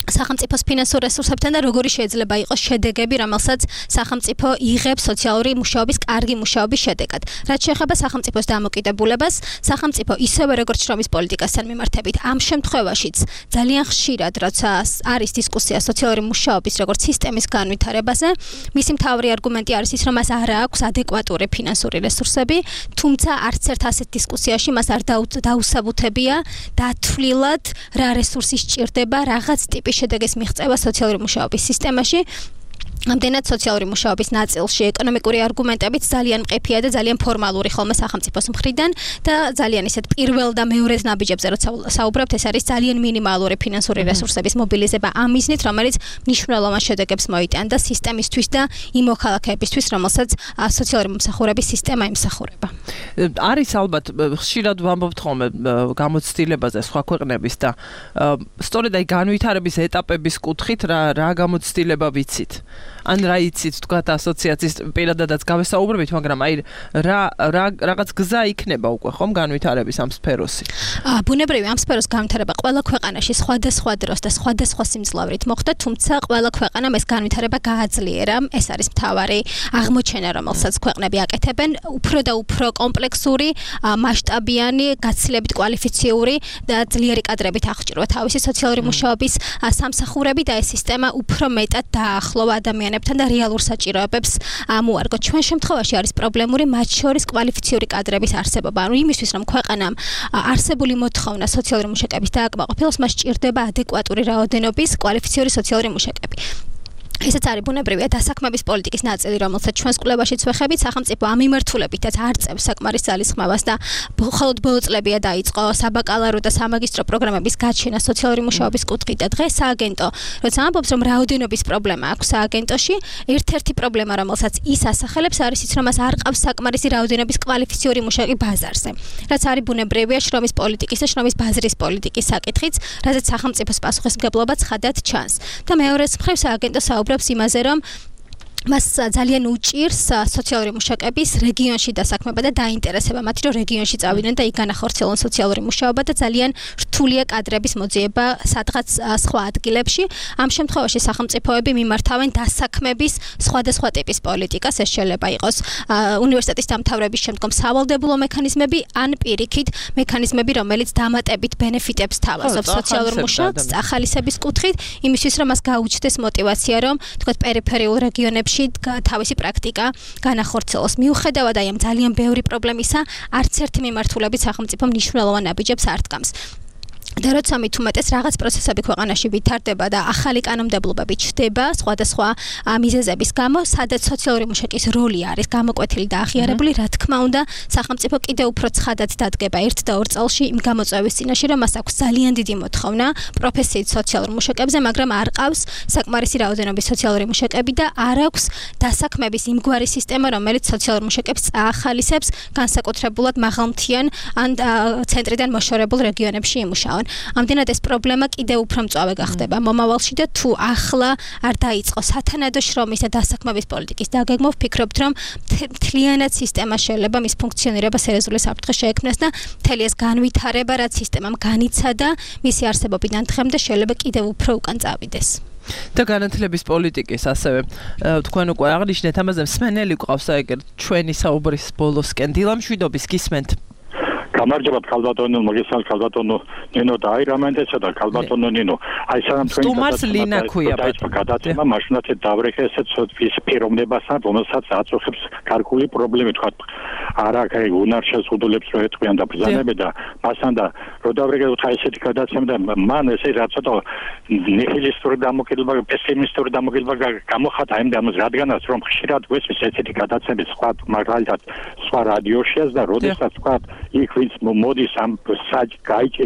სახელმწიფოს ფინანსურ რესურსებთან და როგორი შეიძლება იყოს შედეგები, რომელსაც სახელმწიფო იღებს სოციალური მუშაობის კარგი მუშაობის შედეგად. რაც შეეხება სახელმწიფოს დამოკიდებულებას, სახელმწიფო ისევე როგორც შრომის პოლიტიკასთან მიმართებით, ამ შემთხვევაშიც ძალიან ხშირად, როცა არის დისკუსია სოციალური მუშაობის როგორც სისტემის განვითარებაზე, მისი მთავარი არგუმენტი არის ის, რომ მას არ აქვს ადეკვატური ფინანსური რესურსები, თუმცა არც ერთ ასეთ დისკუსიაში მას არ დაუსაბუთებია დათვლილად რა რესურსი სჭირდება რაღაც ტიპის შედეგის მიღწევა სოციალური მუშაობის სისტემაში ამდენად სოციალური მუშაობის ნაწილში ეკონომიკური არგუმენტებით ძალიან მყიფეა და ძალიან ფორმალური ხოლმე სახელმწიფოს მხრიდან და ძალიან ისეთ პირველ და მეორედ ნაბიჯებზე როცა საუბრობთ ეს არის ძალიან მინიმალური ფინანსური რესურსების მობილიზება ამ მიზნით რომელიც მნიშვნელოვან შედეგებს მოიტანდა სისტემისთვის და იმ მოქალაქეებისთვის რომელსაც სოციალური მომსახურების სისტემა იმსახურება. არის ალბათ ხშირად ვამბობთ ხოლმე გამოცდილებაზე სხვა ქვეყნების და სწორედ აი განვითარების ეტაპების კუთხით რა გამოცდილება ვიცით? ან რა იცით თქვათ ასოციაციის პირადადაც გავესაუბრებით, მაგრამ აი რაღაც გზა იქნება უკვე ხომ განვითარების ამ სფეროსი. ბუნებრივი ამ სფეროს განვითარება ყველა ქვეყანაში სხვადასხვა დროს და სხვადასხვა სიმძლავრით მოხდა, თუმცა ყველა ქვეყანამ ეს განვითარება გააძლიერა. ეს არის მთავარი აღმოჩენა, რომელსაც ქვეყნები აკეთებენ, უფრო და უფრო კომპლექსური, მასშტაბიანი, გაცილებით კვალიფიციური და ძლიერი კადრებით აღჭირვა თავისი სოციალური მუშაობის სამსახურები და ეს სისტემა უფრო მეტად დაახლოვა ადამიანებთან და რეალურ საჭიროებებს მოარგო. ჩვენ შემთხვევაში არის პრობლემური მათ შორის კვალიფიციური კადრების არსებობა. ანუ იმისთვის რომ ქვეყანამ არსებული მოთხოვნა სოციალური მუშაკების დააკმაყოფილოს, მას სჭირდება ადეკვატური რაოდენობის კვალიფიციური სოციალური მუშაკები. ესეც არის ბუნებრივია დასაქმების პოლიტიკის ნაწილი, რომელსაც ჩვენს კვლევაშიც ვეხებით, სახელმწიფო ამ მიმართულებითაც არ წევს საკმარის ძალისხმევას და მხოლოდ ბოლო წლებია დაიწყო საბაკალავრო და სამაგისტრო პროგრამების გაჩენა სოციალური მუშაობის კუთხით და დღეს სააგენტო, როცა ამბობს, რომ რაოდენობის პრობლემა აქვს სააგენტოში, ერთ-ერთი პრობლემა, რომელსაც ის ასახელებს, არის ის, რომ მას არ ყავს საკმარისი რაოდენობის კვალიფიციური მუშაკი ბაზარზე. რაც არის ბუნებრივია შრომის პოლიტიკის და შრომის ბაზრის პოლიტიკის საკითხიც, რაზეც სახელმწიფოს პასუხისმგებლობა ცხადად ჩანს. და მეორე მხრივ სააგენტო საუბრობს იმაზე, რომ მას ძალიან უჭირს სოციალური მუშაკების რეგიონში დასაქმება და დაინტერესება მათი, რომ რეგიონში წავიდნენ და იქ განახორციელონ სოციალური მუშაობა და ძალიან რთულია კადრების მოძიება სადღაც სხვა ადგილებში. ამ შემთხვევაში სახელმწიფოები მიმართავენ დასაქმების სხვადასხვა ტიპის პოლიტიკას, ეს შეიძლება იყოს უნივერსიტეტის დამთავრების შემდგომ სავალდებულო მექანიზმები, ან პირიქით მექანიზმები, რომელიც დამატებით ბენეფიტებს თავაზობს სოციალურ მუშაკს ახალისების კუთხით, იმისთვის რომ მას გაუჩნდეს мотиваცია, რომ თქვათ პერიფერიულ რეგიონებში თავისი პრაქტიკა განახორციელოს. მიუხედავად აი ამ ძალიან ბევრი პრობლემისა, არც ერთი მიმართულებით სახელმწიფო მნიშვნელოვან ნაბიჯებს არ დგამს. და როცა მით უმეტეს რაღაც პროცესები ქვეყანაში ვითარდება და ახალი კანონმდებლობები ჩნდება სხვადასხვა მიზეზების გამო, სადაც სოციალური მუშაკის როლი არის გამოკვეთილი და აღიარებული, რა თქმა უნდა, სახელმწიფო კიდევ უფრო ცხადად დადგება 1 და 2 წელში იმ გამოწვევის წინაშე, რომ მას აქვს ძალიან დიდი მოთხოვნა პროფესიით სოციალურ მუშაკებზე, მაგრამ არ ყავს საკმარისი რაოდენობის სოციალური მუშაკები და არ აქვს დასაქმების იმგვარი სისტემა, რომელიც სოციალურ მუშაკებს წაახალისებს განსაკუთრებულად მაღალმთიან ან ცენტრიდან მოშორებულ რეგიონებში იმუშაონ. ამდენად ეს პრობლემა კიდევ უფრო მწვავე გახდება მომავალში და თუ ახლა არ დაიწყო სათანადო შრომის და დასაქმების პოლიტიკის დაგეგმვა, ვფიქრობთ, რომ მთლიანად სისტემა შეიძლება მის ფუნქციონირება სერიოზული საფრთხე შეექმნას და მთელი ეს განვითარება, რაც სისტემამ განიცადა, მისი არსებობიდან დღემდე შეიძლება კიდევ უფრო უკან წავიდეს. და განათლების პოლიტიკის ასევე თქვენ უკვე აღნიშნეთ ამაზე, მსმენელი გვყავს ეგრე ჩვენი საუბრის ბოლოსკენ. დილა მშვიდობის, გისმენთ. გამარჯობათ ქალბატონო, მოგესალმებით ქალბატონო ნინო და აი რამენდესა და ქალბატონო ნინო. აი სანამ თქვენ გადაცემა მაშინაც დავრეხე ესეც ის პიროვნებასთან, რომელსაც აწუხებს გარკვეული პრობლემა თქვა. არა, აი უნარ შეზღუდულებს რო ეთქვიან და ბრძანებენ და მასთან და რო დავრეხე უთხა ესეთი გადაცემა და მან ესე რა ცოტა ნიჰილისტური დამოკიდება, პესიმისტური დამოკიდება გამოხატა იმ ამას, რადგანაც რომ ხშირად გვესმის ესეთი გადაცემები სხვა მაგალითად სხვა რადიოშიაც და როდესაც თქვა იქ ვინც მოდის ამ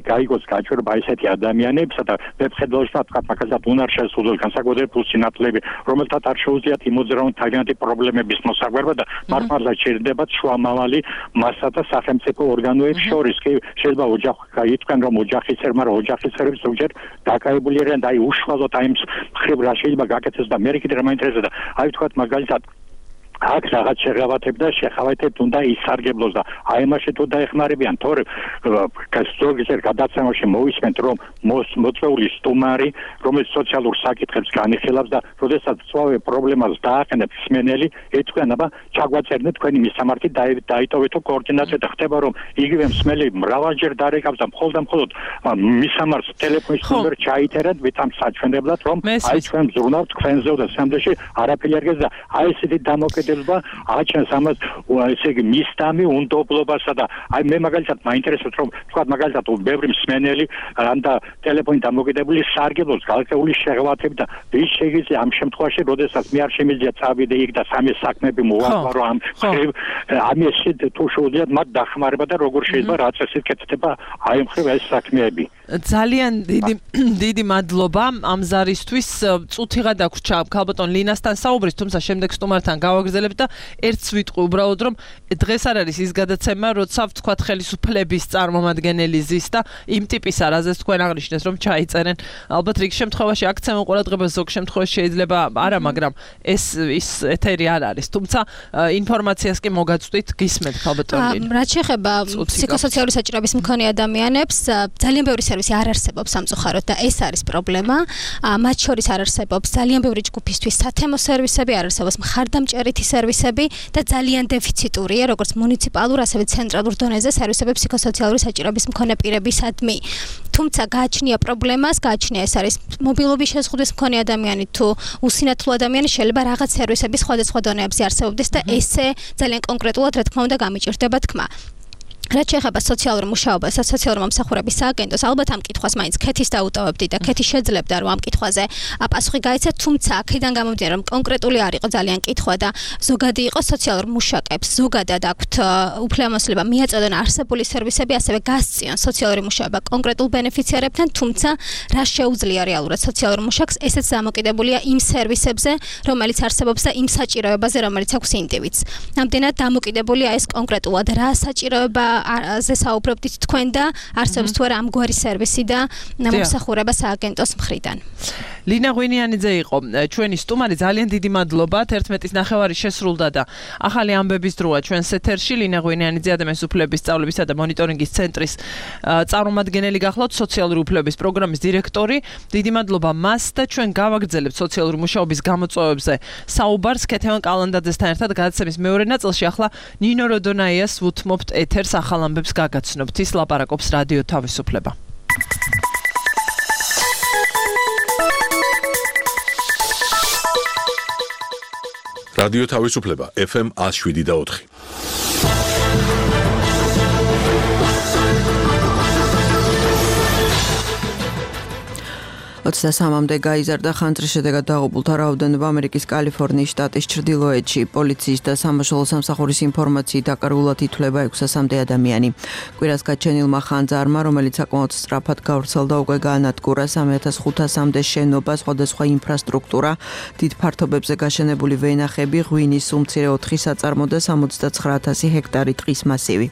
გაიგოს გაჩვენება ესეთი ადამიანებსა და ვებხედველში თქვა მაგალითად უნარ შეზღუდული განსაკუთრებით სინათლეები, რომელთაც არ შეუძლიათ იმოძრავონ თავიანთი პრობლემების მოსაგვარება და მართლა შეიძლება შუამავალი მასა და სახელმწიფო ორგანოებს შორის კი შეიძლება ოჯახი ითქვენ რომ ოჯახისერ, მაგრამ ოჯახისერებს ზოგჯერ დაკავებული არიან და აი უშუალოდ აი მხრივ რა შეიძლება გაკეთდეს და მე კიდე რა მაინტერესებს და აი თქვა მაგალითად აქ რაღაც შეხავათებთ უნდა ისარგებლოს და აი მაშინ თუ დაეხმარებიან თორე ზოგიერთ გადაცემაში მოვისმენთ რომ მოწვეული სტუმარი რომელიც სოციალურ საკითხებს განიხილავს და როდესაც სწავე პრობლემას დააყენებს მსმენელი ეთქვენ აბა ჩაგვაწერნეთ თქვენი მისამართი დაიტოვეთ კოორდინაცია და ხდება რომ იგივე მსმენელი მრავალჯერ დარეკავს და მხოლოდ მისამართს ტელეფონის ნომერი ჩაიწერეთ ვითამ საჩვენებლად რომ აი ჩვენ ზრუნავთ თქვენზე და სამდეში არაფერი არ გესა აი ესეთი დამოკიდებული გადადებულება აჩენს ამას ესე იგი მისდამი უნდობლობასა და აი მე მაგალითად მაინტერესებს რომ თქვა მაგალითად ბევრი მსმენელი ანდა ტელეფონით დამოკიდებული სარგებლობს გალაქტიკური შეღავათები და ვის შეიძლება ამ შემთხვევაში როდესაც მე არ შემიძლია წავიდე იქ და სამი საქმეები მოვაყარო ამ ამის თუ შეუძლიათ მათ დახმარება და როგორ შეიძლება რა წესით კეთდება აი მხრივ ეს საქმეები ძალიან დიდი მადლობა ამ ზარისთვის წუთიღა დაგვრჩა ქალბატონ ლინასთან საუბრის თუმცა შემდეგ სტუმართან გავაგრძელებთ და ერთს ვიტყვი უბრალოდ რომ დღეს არ არის ის გადაცემა როცა ვთქვათ ხელისუფლების წარმომადგენელი ზის და იმ ტიპის არაზეს თქვენ აღნიშნეს რომ ჩაიწერენ ალბათ რიგ შემთხვევაში აქცევენ ყურადღებას ზოგ შემთხვევაში შეიძლება არა მაგრამ ეს ის ეთერი არ არის თუმცა ინფორმაციას კი მოგაწვდით გისმენთ ქალბატონ ლინა რაც შეეხება ფსიქოსოციალური საჭიროების მქონე ადამიანებს ძალიან ბევრი სერვისი არ არსებობს სამწუხაროდ და ეს არის პრობლემა მათ შორის არ არსებობს ძალიან ბევრი ჯგუფისთვის სათემო სერვისები არ არსებობს მხარდამჭერითი სერვისები და ძალიან დეფიციტურია როგორც მუნიციპალურ ასევე ცენტრალურ დონეზე სერვისები ფსიქოსოციალური საჭიროების მქონე პირებისადმი თუმცა გააჩნია პრობლემას გააჩნია ეს არის მობილობის შეზღუდვის მქონე ადამიანი თუ უსინათლო ადამიანი შეიძლება რაღაც სერვისების სხვადასხვა დონეებზე არსებობდეს და ესე ძალიან კონკრეტულად რა თქმა უნდა გამიჭირდება თქმა რაც შეეხება სოციალურ მუშაობას და სოციალურ მომსახურების სააგენტოს ალბათ ამ კითხვას მაინც ქეთის დაუტოვებდი და ქეთი შეძლებდა რომ ამ კითხვაზე პასუხი გაეცეთ თუმცა აქედან გამომდინარე რომ კონკრეტული არ იყო ძალიან კითხვა და ზოგადი იყო სოციალურ მუშაკებს ზოგადად აქვთ უფლებამოსილება მიაწოდონ არსებული სერვისები ასევე გასწიონ სოციალური მუშაობა კონკრეტულ ბენეფიციარებთან თუმცა რა შეუძლია რეალურად სოციალურ მუშაკს ესეც დამოკიდებულია იმ სერვისებზე რომელიც არსებობს და იმ საჭიროებაზე რომელიც აქვს ინდივიდს ამდენად დამოკიდებულია ეს კონკრეტულად რა საჭიროება ზე საუბრობდით თქვენ და არსებობს თუ არა ამგვარი სერვისი და მომსახურება სააგენტოს მხრიდან. ლინა ღვინიანიძე იყო ჩვენი სტუმარი ძალიან დიდი მადლობა 11:09 შესრულდა და ახალი ამბების დროა ჩვენს ეთერში ლინა ღვინიანიძე ადამიანის უფლებების სწავლებისა და მონიტორინგის ცენტრის წარმომადგენელი გახლავთ სოციალური უფლებების პროგრამის დირექტორი დიდი მადლობა მას და ჩვენ გავაგრძელებთ სოციალური მუშაობის გამოწვევებზე საუბარს ქეთევან კალანდაძესთან ერთად გადაცემის მეორე ნაწილში ახლა ნინო როდონაიას ვუთმობთ ეთერს ახალ ამბებს გაგაცნობთ ის ლაპარაკობს რადიო თავისუფლება რადიო თავისუფლება FM 107.4 23-მდე გაიზარდა ხანძრის შედეგად დაღუპულთა რაოდენობა ამერიკის კალიფორნიის შტატის ჩრდილოეთში. პოლიციის და სამაშველო სამსახურის ინფორმაციით აკარგულად ითვლება 600-მდე ადამიანი. კვირას გაჩენილმა ხანძარმა, რომელიც საკმაოდ სწრაფად გავრცელდა, უკვე გაანადგურა 3500-მდე შენობა, სხვადასხვა ინფრასტრუქტურა, დიდ ფართობებზე გაშენებული ვენახები, ღვინის უმცირე 4 საწარმო და 79000 ჰექტარი ტყის მასივი.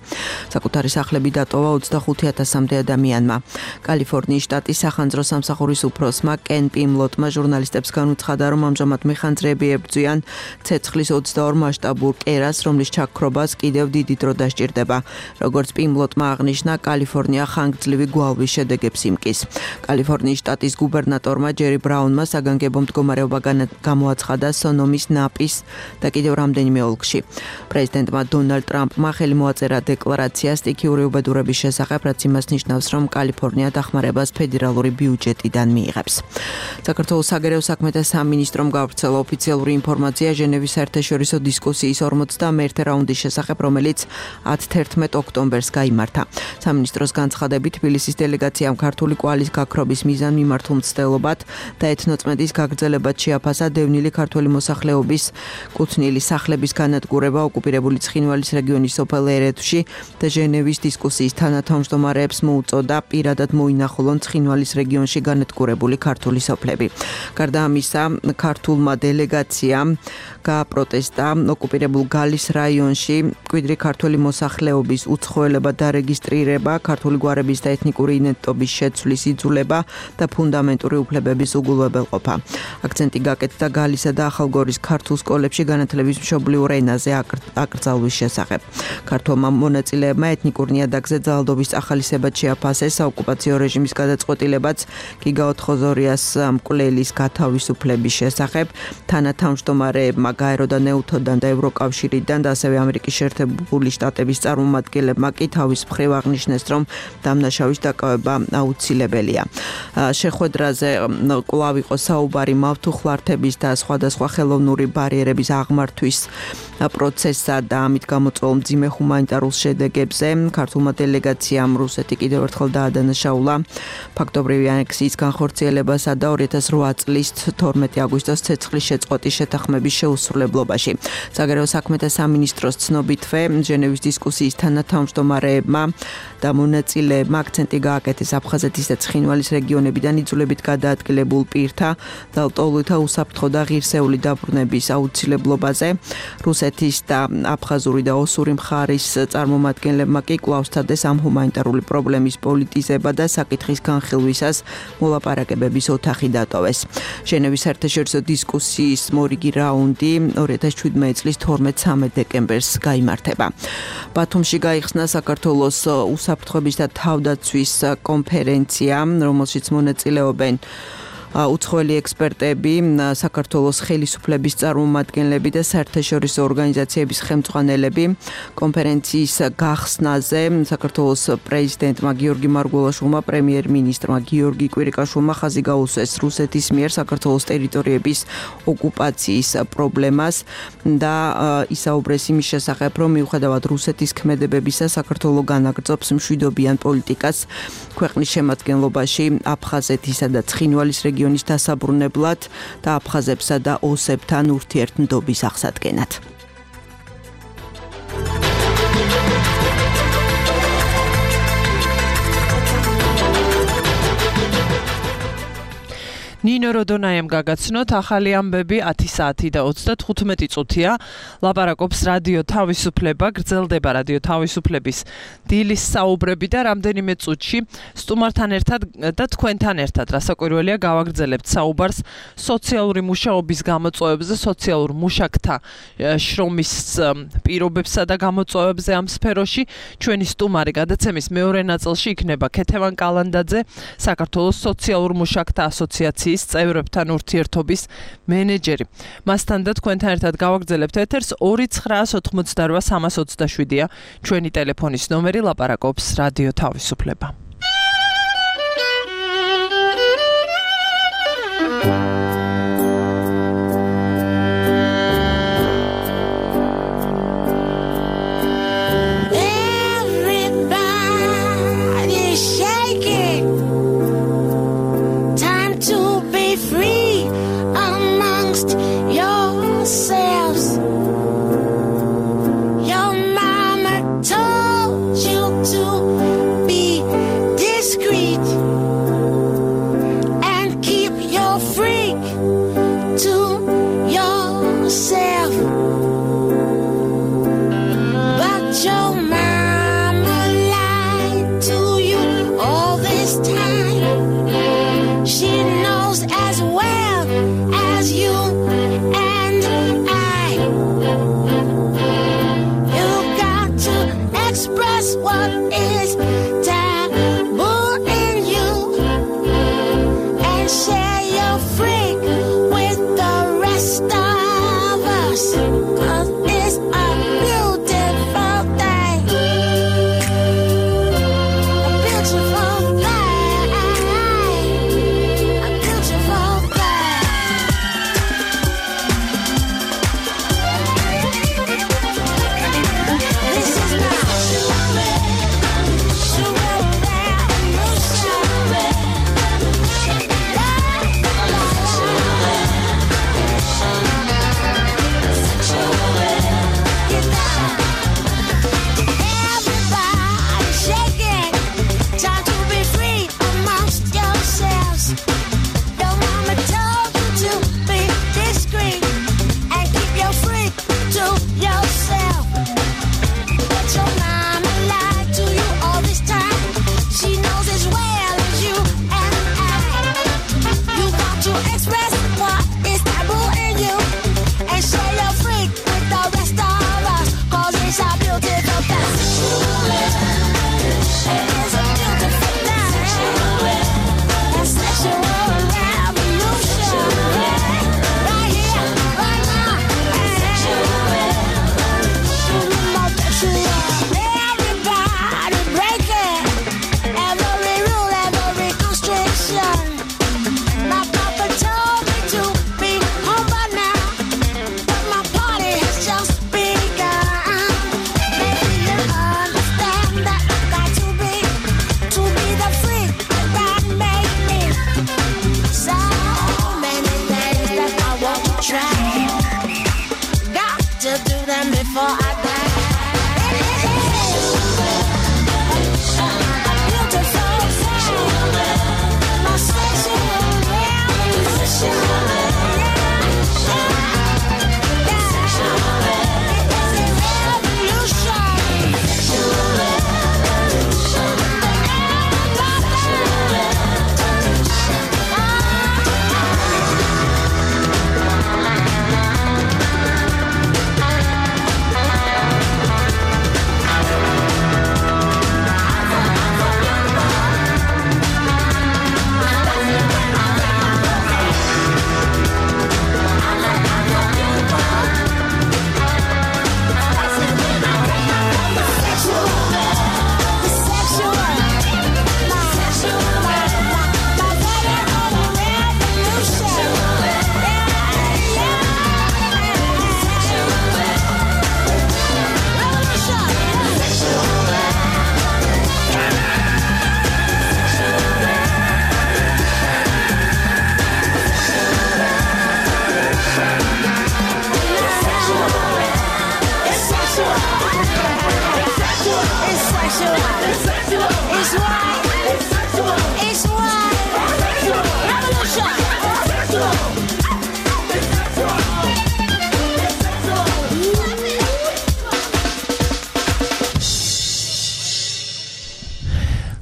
საკუთარი სახლები დატოვა 25000-მდე ადამიანმა. კალიფორნიის შტატის სახანძრო სამსახურის უფროსმა კენ პიმლოტმა ჟურნალისტებს განუცხადა, რომ ამჟამად მეხანძრეები ებრძვიან ცეცხლის 22 მასშტაბურ კერას, რომლის ჩაქრობას კიდევ დიდი დრო დასჭირდება. როგორც პიმლოტმა აღნიშნა, კალიფორნია ხანგრძლივი გვალვის შედეგებს იმკის. კალიფორნიის შტატის გუბერნატორმა ჯერი ბრაუნმა საგანგებო მდგომარეობა გამოაცხადა სონომის, ნაპის და კიდევ რამდენიმე ოლქში. პრეზიდენტმა დონალდ ტრამპმა ხელი მოაწერა დეკლარაცია სტიქიური უბედურების შესახებ, რაც იმას ნიშნავს, რომ კალიფორნია დახმარებას ფედერალური ბიუჯეტიდან მიიღებს. საქართველოს საგარეო საქმეთა სამინისტრომ გავრცელა ოფიციალური ინფორმაცია ჟენევის საერთაშორისო დისკუსიის 41 რაუნდის შესახებ, რომელიც 10-11 ოქტომბერს გაიმართა. სამინისტროს განცხადებით, თბილისის დელეგაციამ ქართული კვალის გაქრობის მიზანმიმართულ მცდელობად და ეთნოწმენდის გაგრძელებად შეაფასა დევნილი ქართველი მოსახლეობის კუთვნილი სახლების განადგურება ოკუპირებული ცხინვალის რეგიონის სოფელ ერეთში და ჟენევის დისკუსიის თანათავმჯდომარეებს მოუწოდა პირადად მოინახულონ ცხინვალის რეგიონში განადგურებული ქართული სოფლები. გარდა ამისა, ქართულმა დელეგაციამ გააპროტესტა ოკუპირებულ გალის რაიონში მკვიდრი ქართული მოსახლეობის უცხოელება დარეგისტრირება, ქართული გვარების და ეთნიკური იდენტობის შეცვლის იძულება და ფუნდამენტური უფლებების უგულებელყოფა. აქცენტი გაკეთდა გალისა და ახალგორის ქართულ სკოლებში განათლების მშობლიურ ენაზე აკრძალვის შესახებ. ქართულმა მონაწილეებმა ეთნიკურ ნიადაგზე ძალადობის წახალისებად შეაფასეს, საოკუპაციო რეჟიმის გადაწყვეტილებაც კი გაოთხო ხოზორიას მკვლელის გათავისუფლების შესახებ. თანათავმჯდომარეებმა გაერო და ნეუთოდან და ევროკავშირიდან და ასევე ამერიკის შეერთებული შტატების წარმომადგენლებმა კი თავის მხრივ აღნიშნეს, რომ დამნაშავის დაკავება აუცილებელია. შეხვედრაზე კვლავ იყო საუბარი მავთუხლართების და სხვადასხვა ხელოვნური ბარიერების აღმართვის პროცესსა და ამით გამოწვეულ მძიმე ჰუმანიტარულ შედეგებზე. ქართულმა დელეგაციამ რუსეთი კიდევ ერთხელ დაადანაშაულა ფაქტობრივი ანექსიის განხორციელებასა და 2008 წლის 12 აგვისტოს ცეცხლის შეწყვეტის შეთანხმების შეუსრულებლობაში. საგარეო საქმეთა სამინისტროს ცნობითვე ჟენევის დისკუსიის თანათავმჯდომარეებმა და მონაწილეებმა აქცენტი გააკეთეს აფხაზეთის და ცხინვალის რეგიონებიდან იძულებით გადაადგილებულ პირთა და ლტოლვილთა უსაფრთხო და ღირსეული დაბრუნების აუცილებლობაზე. რუსეთის და აფხაზური და ოსური მხარის წარმომადგენლებმა კი კვლავ სცადეს ამ ჰუმანიტარული პრობლემის პოლიტიზება და საკითხის განხილვისას მოლაპარაკებების ოთახი დატოვეს. ჟენევის საერთაშორისო დისკუსიის მორიგი რაუნდი 2017 წლის 12-13 დეკემბერს გაიმართება. ბათუმში გაიხსნა საქართველოს უსაფრთხოების და თავდაცვის კონფერენცია, რომელშიც მონაწილეობენ უცხოელი ექსპერტები, საქართველოს ხელისუფლების წარმომადგენლები და საერთაშორისო ორგანიზაციების ხელმძღვანელები. კონფერენციის გახსნაზე საქართველოს პრეზიდენტმა გიორგი მარგველაშვილმა, პრემიერ-მინისტრმა გიორგი კვირიკაშვილმა ხაზი გაუსვეს რუსეთის მიერ საქართველოს ტერიტორიების ოკუპაციის პრობლემას და ისაუბრეს იმის შესახებ, რომ მიუხედავად რუსეთის ქმედებებისა, საქართველო განაგრძობს მშვიდობიან პოლიტიკას ქვეყნის შემადგენლობაში აფხაზეთისა და ცხინვალის რეგიონის დასაბრუნებლად და აფხაზებსა და ოსებთან ურთიერთმდობის აღსადგენად. ნინო როდონაიამ გაგაცნოთ ახალი ამბები 10 საათი და 35 წუთია. ლაპარაკობს რადიო თავისუფლება, გრძელდება რადიო თავისუფლების დილის საუბრები და რამდენიმე წუთში სტუმართან ერთად და თქვენთან ერთად რასაკვირველია გავაგრძელებთ საუბარს სოციალური მუშაობის გამოწვევებზე, სოციალურ მუშაკთა შრომის პირობებსა და გამოწვევებზე ამ სფეროში. ჩვენი სტუმარი გადაცემის მეორე ნაწილში იქნება ქეთევან კალანდაძე, საქართველოს სოციალურ მუშაკთა ასოციაციის წევრებთან ურთიერთობის მენეჯერი. მასთან და თქვენთან ერთად გავაგრძელებთ ეთერს 2988327-ია ჩვენი ტელეფონის ნომერი, ლაპარაკობს რადიო თავისუფლება. Your mama told you to be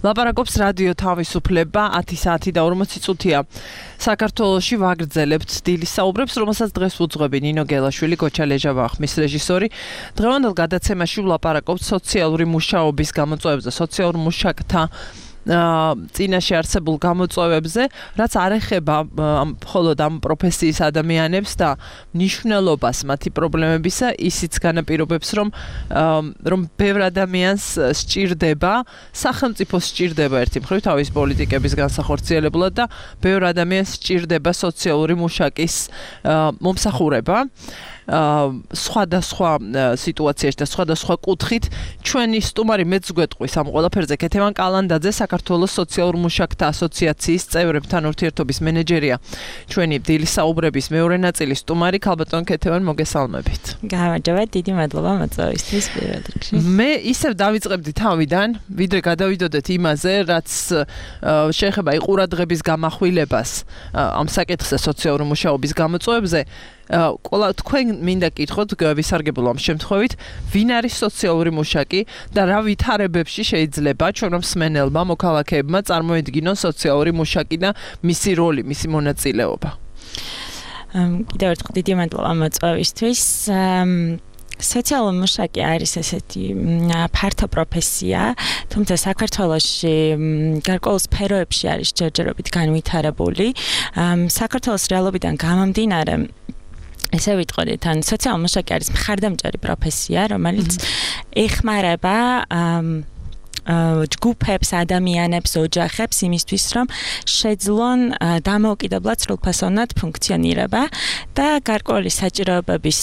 ლაპარაკობს რადიო თავისუფლება 10 საათი და 40 წუთია. საქართველოში ვაგრძელებთ დილის საუბრებს, რომელსაც დღეს უძღვები ნინო გელაშვილი, გოჩა ლეჟავა ხმის რეჟისორი. დღევანდელ გადაცემაში ვლაპარაკობთ სოციალური მუშაობის გამოწვევებზე, სოციალურ მუშაკთა წინაშე არსებულ გამოწვევებზე, რაც არ ეხება მხოლოდ ამ პროფესიის ადამიანებს და მნიშვნელობას მათი პრობლემებისა, ისიც განაპირობებს, რომ ბევრ ადამიანს სჭირდება, სახელმწიფოს სჭირდება ერთი მხრივ თავის პოლიტიკების განსახორციელებლად და ბევრ ადამიანს სჭირდება სოციალური მუშაკის მომსახურება. სხვადასხვა სიტუაციაში და სხვადასხვა კუთხით ჩვენი სტუმარი მეც გვეტყვის ამ ყველაფერზე ქეთევან კალანდაძე, საქართველოს სოციალურ მუშაკთა ასოციაციის წევრებთან ურთიერთობის მენეჯერია. ჩვენი დილის საუბრების მეორე ნაწილის სტუმარი ქალბატონ ქეთევან, მოგესალმებით. გამარჯობა, დიდი მადლობა მოწვევისთვის პირველ რიგში. მე ისევ დავიწყებდი თავიდან, ვიდრე გადავიდოდეთ იმაზე, რაც შეეხება ყურადღების გამახვილებას ამ საკითხზე სოციალური მუშაობის გამოწვევებზე. ყველა თქვენ მინდა კითხოთ ვისარგებლო ამ შემთხვევით, ვინ არის სოციალური მუშაკი და რა ვითარებებში შეიძლება ჩვენო მსმენელმა მოქალაქეებმა წარმოედგინონ სოციალური მუშაკი და მისი როლი, მისი მონაწილეობა. კიდევ ერთხელ დიდი მადლობა მოწვევისთვის. სოციალური მუშაკი არის ესეთი ფართო პროფესია, თუმცა საქართველოში გარკვეულ სფეროებში არის ჯერჯერობით განვითარებული. საქართველოს რეალობიდან გამომდინარე ესე ვიტყოდით, ან სოციალური მუშაკი არის მხარდამჭერი პროფესია, რომელიც ეხმარება ჯგუფებს, ადამიანებს, ოჯახებს იმისთვის, რომ შეძლონ დამოუკიდებლად სრულფასოვნად ფუნქციონირება და გარკვეული საჭიროებების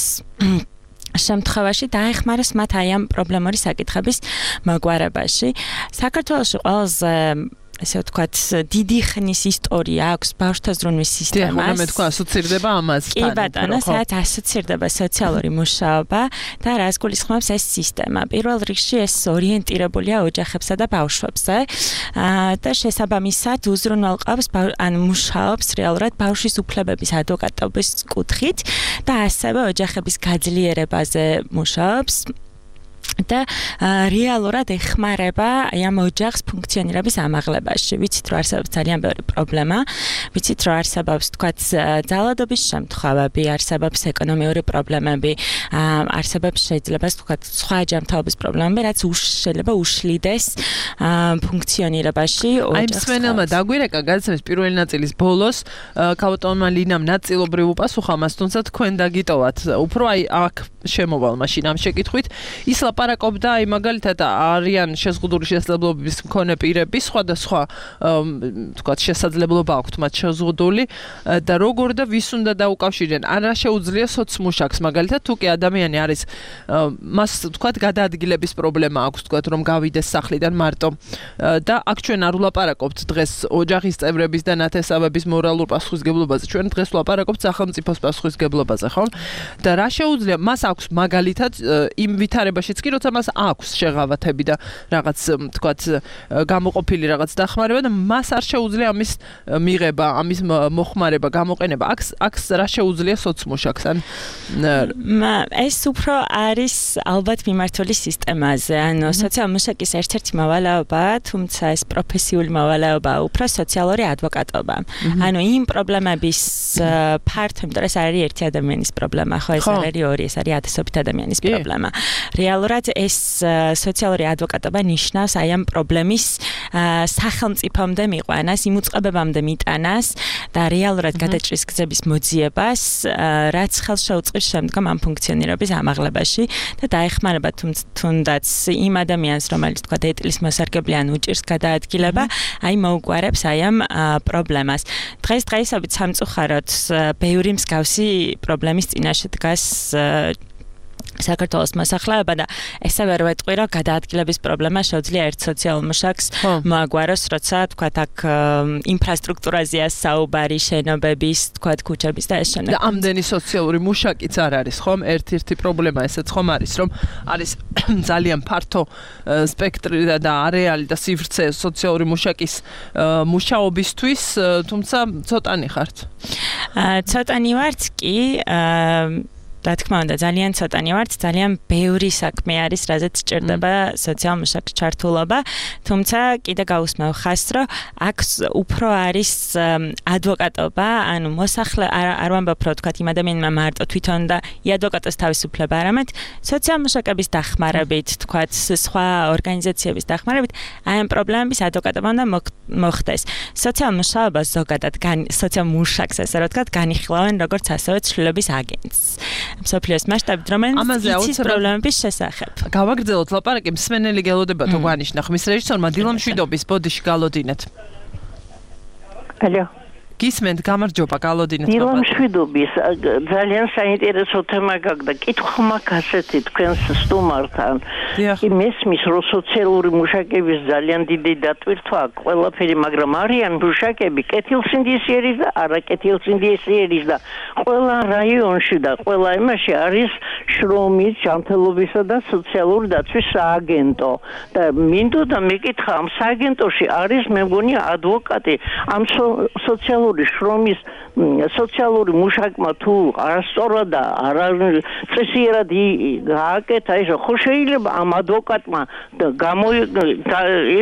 შემთხვევაში დაეხმაროს მათ აი ამ პრობლემური საკითხების მოგვარებაში. საქართველოში ყველაზე ესე ვთქვათ, დიდი ხნის ისტორია აქვს ბავშვთა ზრუნვის სისტემას. მე თქვა ასოცირდება ამასთან. კი ბატონო, სადაც ასოცირდება სოციალური მუშაობა და რას გულისხმობს ეს სისტემა. პირველ რიგში ეს ორიენტირებულია ოჯახებსა და ბავშვებზე და შესაბამისად უზრუნველყოფს ან მუშაობს რეალურად ბავშვის უფლებების ადვოკატობის კუთხით და ასევე ოჯახების გაძლიერებაზე მუშაობს. და რეალურად ეხმარება ამ ოჯახის ფუნქციონირების ამაღლებაში. ვიცით, რომ არსებობს ძალიან ბევრი პრობლემა, ვიცით, რომ არსებობს, თქვათ, ძალადობის შემთხვევები, არსებობს ეკონომიური პრობლემები, არსებობს შეიძლება, თქვათ, სხვა ჯანმრთელობის პრობლემები, რაც შეიძლება უშლიდეს ფუნქციონირებაში ოჯახს. აი, მსმენელმა დაგვირეკა გადაცემის პირველი ნაწილის ბოლოს, ქალბატონმა ლინამ ნაწილობრივ უპასუხა მას, თუმცა თქვენ დაგიტოვათ. უფრო აი აქ შემოვალ მაშინ ამ შეკითხვით, ის ლაპარაკობდა აი მაგალითად არიან შეზღუდული შესაძლებლობების მქონე პირები, სხვადასხვა თქვათ შესაძლებლობა აქვთ მათ შეზღუდული და როგორ და ვის უნდა დაუკავშირდნენ. არა შეუძლია სოცმუშაკს მაგალითად თუ კი ადამიანი არის მას თქვათ გადაადგილების პრობლემა აქვს თქვათ რომ გავიდეს სახლიდან მარტო და აქ ჩვენ არ ვლაპარაკობთ დღეს ოჯახის წევრების და ნათესავების მორალურ პასუხისგებლობაზე. ჩვენ დღეს ვლაპარაკობთ სახელმწიფოს პასუხისგებლობაზე, ხო? და რა შეუძლია მას აქვს მაგალითად იმ ვითარებაშიც კი როცა მას აქვს შეღავათები და რაღაც თქვათ გამოყოფილი რაღაც დახმარება და მას არ შეუძლია ამის მიღება, ამის მოხმარება, გამოყენება. აქ რა შეუძლია სოცმუშაკს? ან ეს უფრო არის ალბათ მიმართული სისტემაზე. ანუ სოციალური მუშაკის ერთ-ერთი მოვალეობა, თუმცა ეს პროფესიული მოვალეობა, უფრო სოციალური ადვოკატობა. ანუ იმ პრობლემების ფართო, იმიტომ რომ ეს არის ერთი ადამიანის პრობლემა, ხო, ეს არ არის ორი, ეს არის ათასობით ადამიანის პრობლემა. რეალურად ეს სოციალური ადვოკატობა ნიშნავს აი ამ პრობლემის სახელმწიფომდე მიყვანას, იმ უწყებებამდე მიტანას და რეალურად გადაჭრის გზების მოძიებას, რაც ხელს შეუწყობს შემდგომ ამ ფუნქციონირების ამაღლებაში და დაეხმარება თუნდაც იმ ადამიანს, რომელიც თქვა ეტლის მოსარგებლე ან უჭირს გადაადგილება, აი მოუგვარებს აი ამ პრობლემას. დღესდღეობით სამწუხაროდ ბევრი მსგავსი პრობლემის წინაშე დგას საქართველოს მოსახლეობა და ესე ვერ ვეტყვი, რომ გადაადგილების პრობლემა შეუძლია ერთ სოციალურ მუშაკს მოაგვაროს, როცა თქვათ აქ ინფრასტრუქტურაზეა საუბარი, შენობების, თქვათ ქუჩების და ეს შენობები. და ამდენი სოციალური მუშაკიც არ არის, ხომ? ერთ-ერთი პრობლემა ესეც ხომ არის, რომ არის ძალიან ფართო სპექტრი და არეალი და სივრცე სოციალური მუშაკის მუშაობისთვის, თუმცა ცოტანი ხართ. ცოტანი ვართ კი, რა თქმა უნდა, ძალიან ცოტანი ვართ, ძალიან ბევრი საქმე არის, რაზეც სჭირდება სოციალურ მუშაკს ჩართულობა, თუმცა კიდე გაუსმევ ხაზს, რომ აქ უფრო არის ადვოკატობა, ანუ მოსახლე არ ვამბობ, რომ თქვა იმ ადამიანმა მარტო თვითონ და ადვოკატოს თავისუფლება, არამედ სოციალურ მუშაკების დახმარებით, თქვა სხვა ორგანიზაციების დახმარებით, აი ამ პრობლემების ადვოკატობა უნდა მოხდეს. სოციალურ მუშაობას ზოგადად სოციალურ მუშაკს ესე რომ თქვა განიხილავენ როგორც ასევე ცვლილების აგენტს. მსოფლიოს მასშტაბით, რომელიც იცის პრობლემების შესახებ. გავაგრძელოთ ლაპარაკი, მსმენელი გელოდება თუ გვანიშნა ხმის რეჟისორმა დილა მშვიდობის ბოდიში გალოდინეთ. ალო გისმენთ, გამარჯობა, გალოდინეთ. დილა მშვიდობის, ძალიან საინტერესო თემა გაგდა. კითხვა მაქვს ასეთი თქვენს სტუმართან. მესმის რომ სოციალური მუშაკების ძალიან დიდი დატვირთვა ყველაფერი, მაგრამ არიან მუშაკები კეთილსინდისიერის და არაკეთილსინდისიერის და ყველა რაიონში და ყველა იმაში არის შრომის, ჯანმრთელობისა და სოციალური დაცვის სააგენტო. და მინდოდა მეკითხა, ამ სააგენტოში არის მე მგონი ადვოკატი, ამ სოციალური შრომის სოციალური მუშაკმა თუ არასწორად და არაწესიერად გააკეთა ეს, ხო შეიძლება ამ ადვოკატმა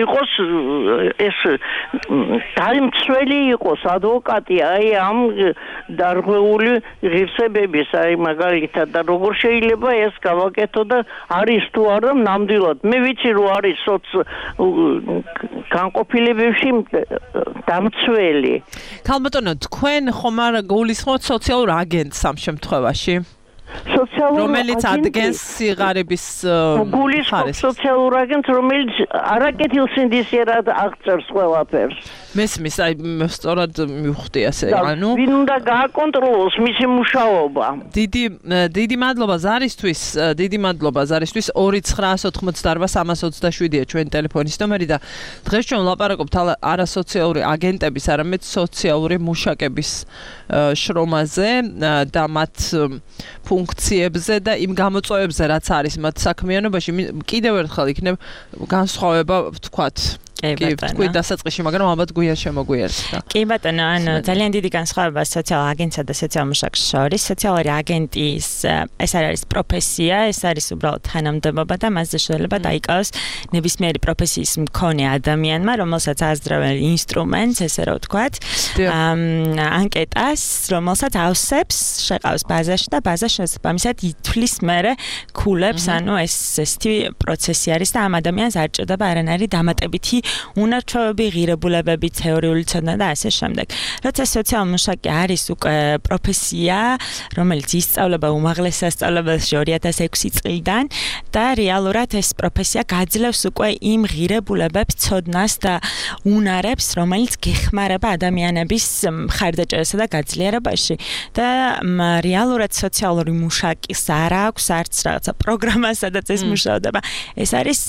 იყოს ეს დაიმცველი იყოს ადვოკატი აი ამ დარღვეული ღირსებების, აი მაგალითად და როგორ შეიძლება ეს გავაკეთო და არის თუ არა ნამდვილად. მე ვიცი რომ არის განყოფილებებში დამცველი. ქალბატონო, თქვენ ხომ არ გულისხმობთ სოციალურ აგენტს ამ შემთხვევაში? რომელიც ადგენს სიღარიბის გულისხმობს სოციალურ აგენტს, რომელიც არაკეთილსინდისიერად აღწერს ყველაფერს. მესმის, აი სწორად მივხვდი ასე, ანუ ვინ უნდა გააკონტროლოს მისი მუშაობა. დიდი მადლობა ზარისთვის, 299888327-ია ჩვენი ტელეფონის ნომერი და დღეს ჩვენ ვლაპარაკობთ არასოციალური აგენტების, არამედ სოციალური მუშაკების შრომაზე და მათ ფუნქციებზე და იმ გამოწვევებზე, რაც არის მათ საქმიანობაში. კიდევ ერთხელ იქნებ განსხვავება, ვთქვათ. კი, თქვი დასაწყისში, მაგრამ ალბათ გვიან შემოგვიერთდა. კი ბატონო, ანუ ძალიან დიდი განსხვავება სოციალურ აგენტსა და სოციალურ მუშაკს შორის. სოციალური აგენტის ეს არის პროფესია, ეს არის უბრალოდ თანამდებობა და მასზე შეიძლება დაიკავოს ნებისმიერი პროფესიის მქონე ადამიანმა, რომელსაც ააზრევენ ინსტრუმენტს, ესე რომ ვთქვათ, ანკეტას, რომელსაც ავსებს, შეყავს ბაზაში და ბაზა შესაბამისად ითვლის მერე ქულებს, ანუ ესეთი პროცესი არის და ამ ადამიანს არ ჭირდება არანაირი დამატებითი უნარჩვევები, ღირებულებები, თეორიული ცოდნა და ასე შემდეგ. როცა სოციალურ მუშაკი არის უკვე პროფესია, რომელიც ისწავლება უმაღლეს სასწავლებელში 2006 წლიდან და რეალურად ეს პროფესია გაძლევს უკვე იმ ღირებულებებს, ცოდნას და უნარებს, რომელიც გეხმარება ადამიანების მხარდაჭერასა და გაძლიერებაში. და რეალურად სოციალური მუშაკის არ აქვს არც რაღაცა პროგრამა, სადაც ეს მუშაობა. ეს არის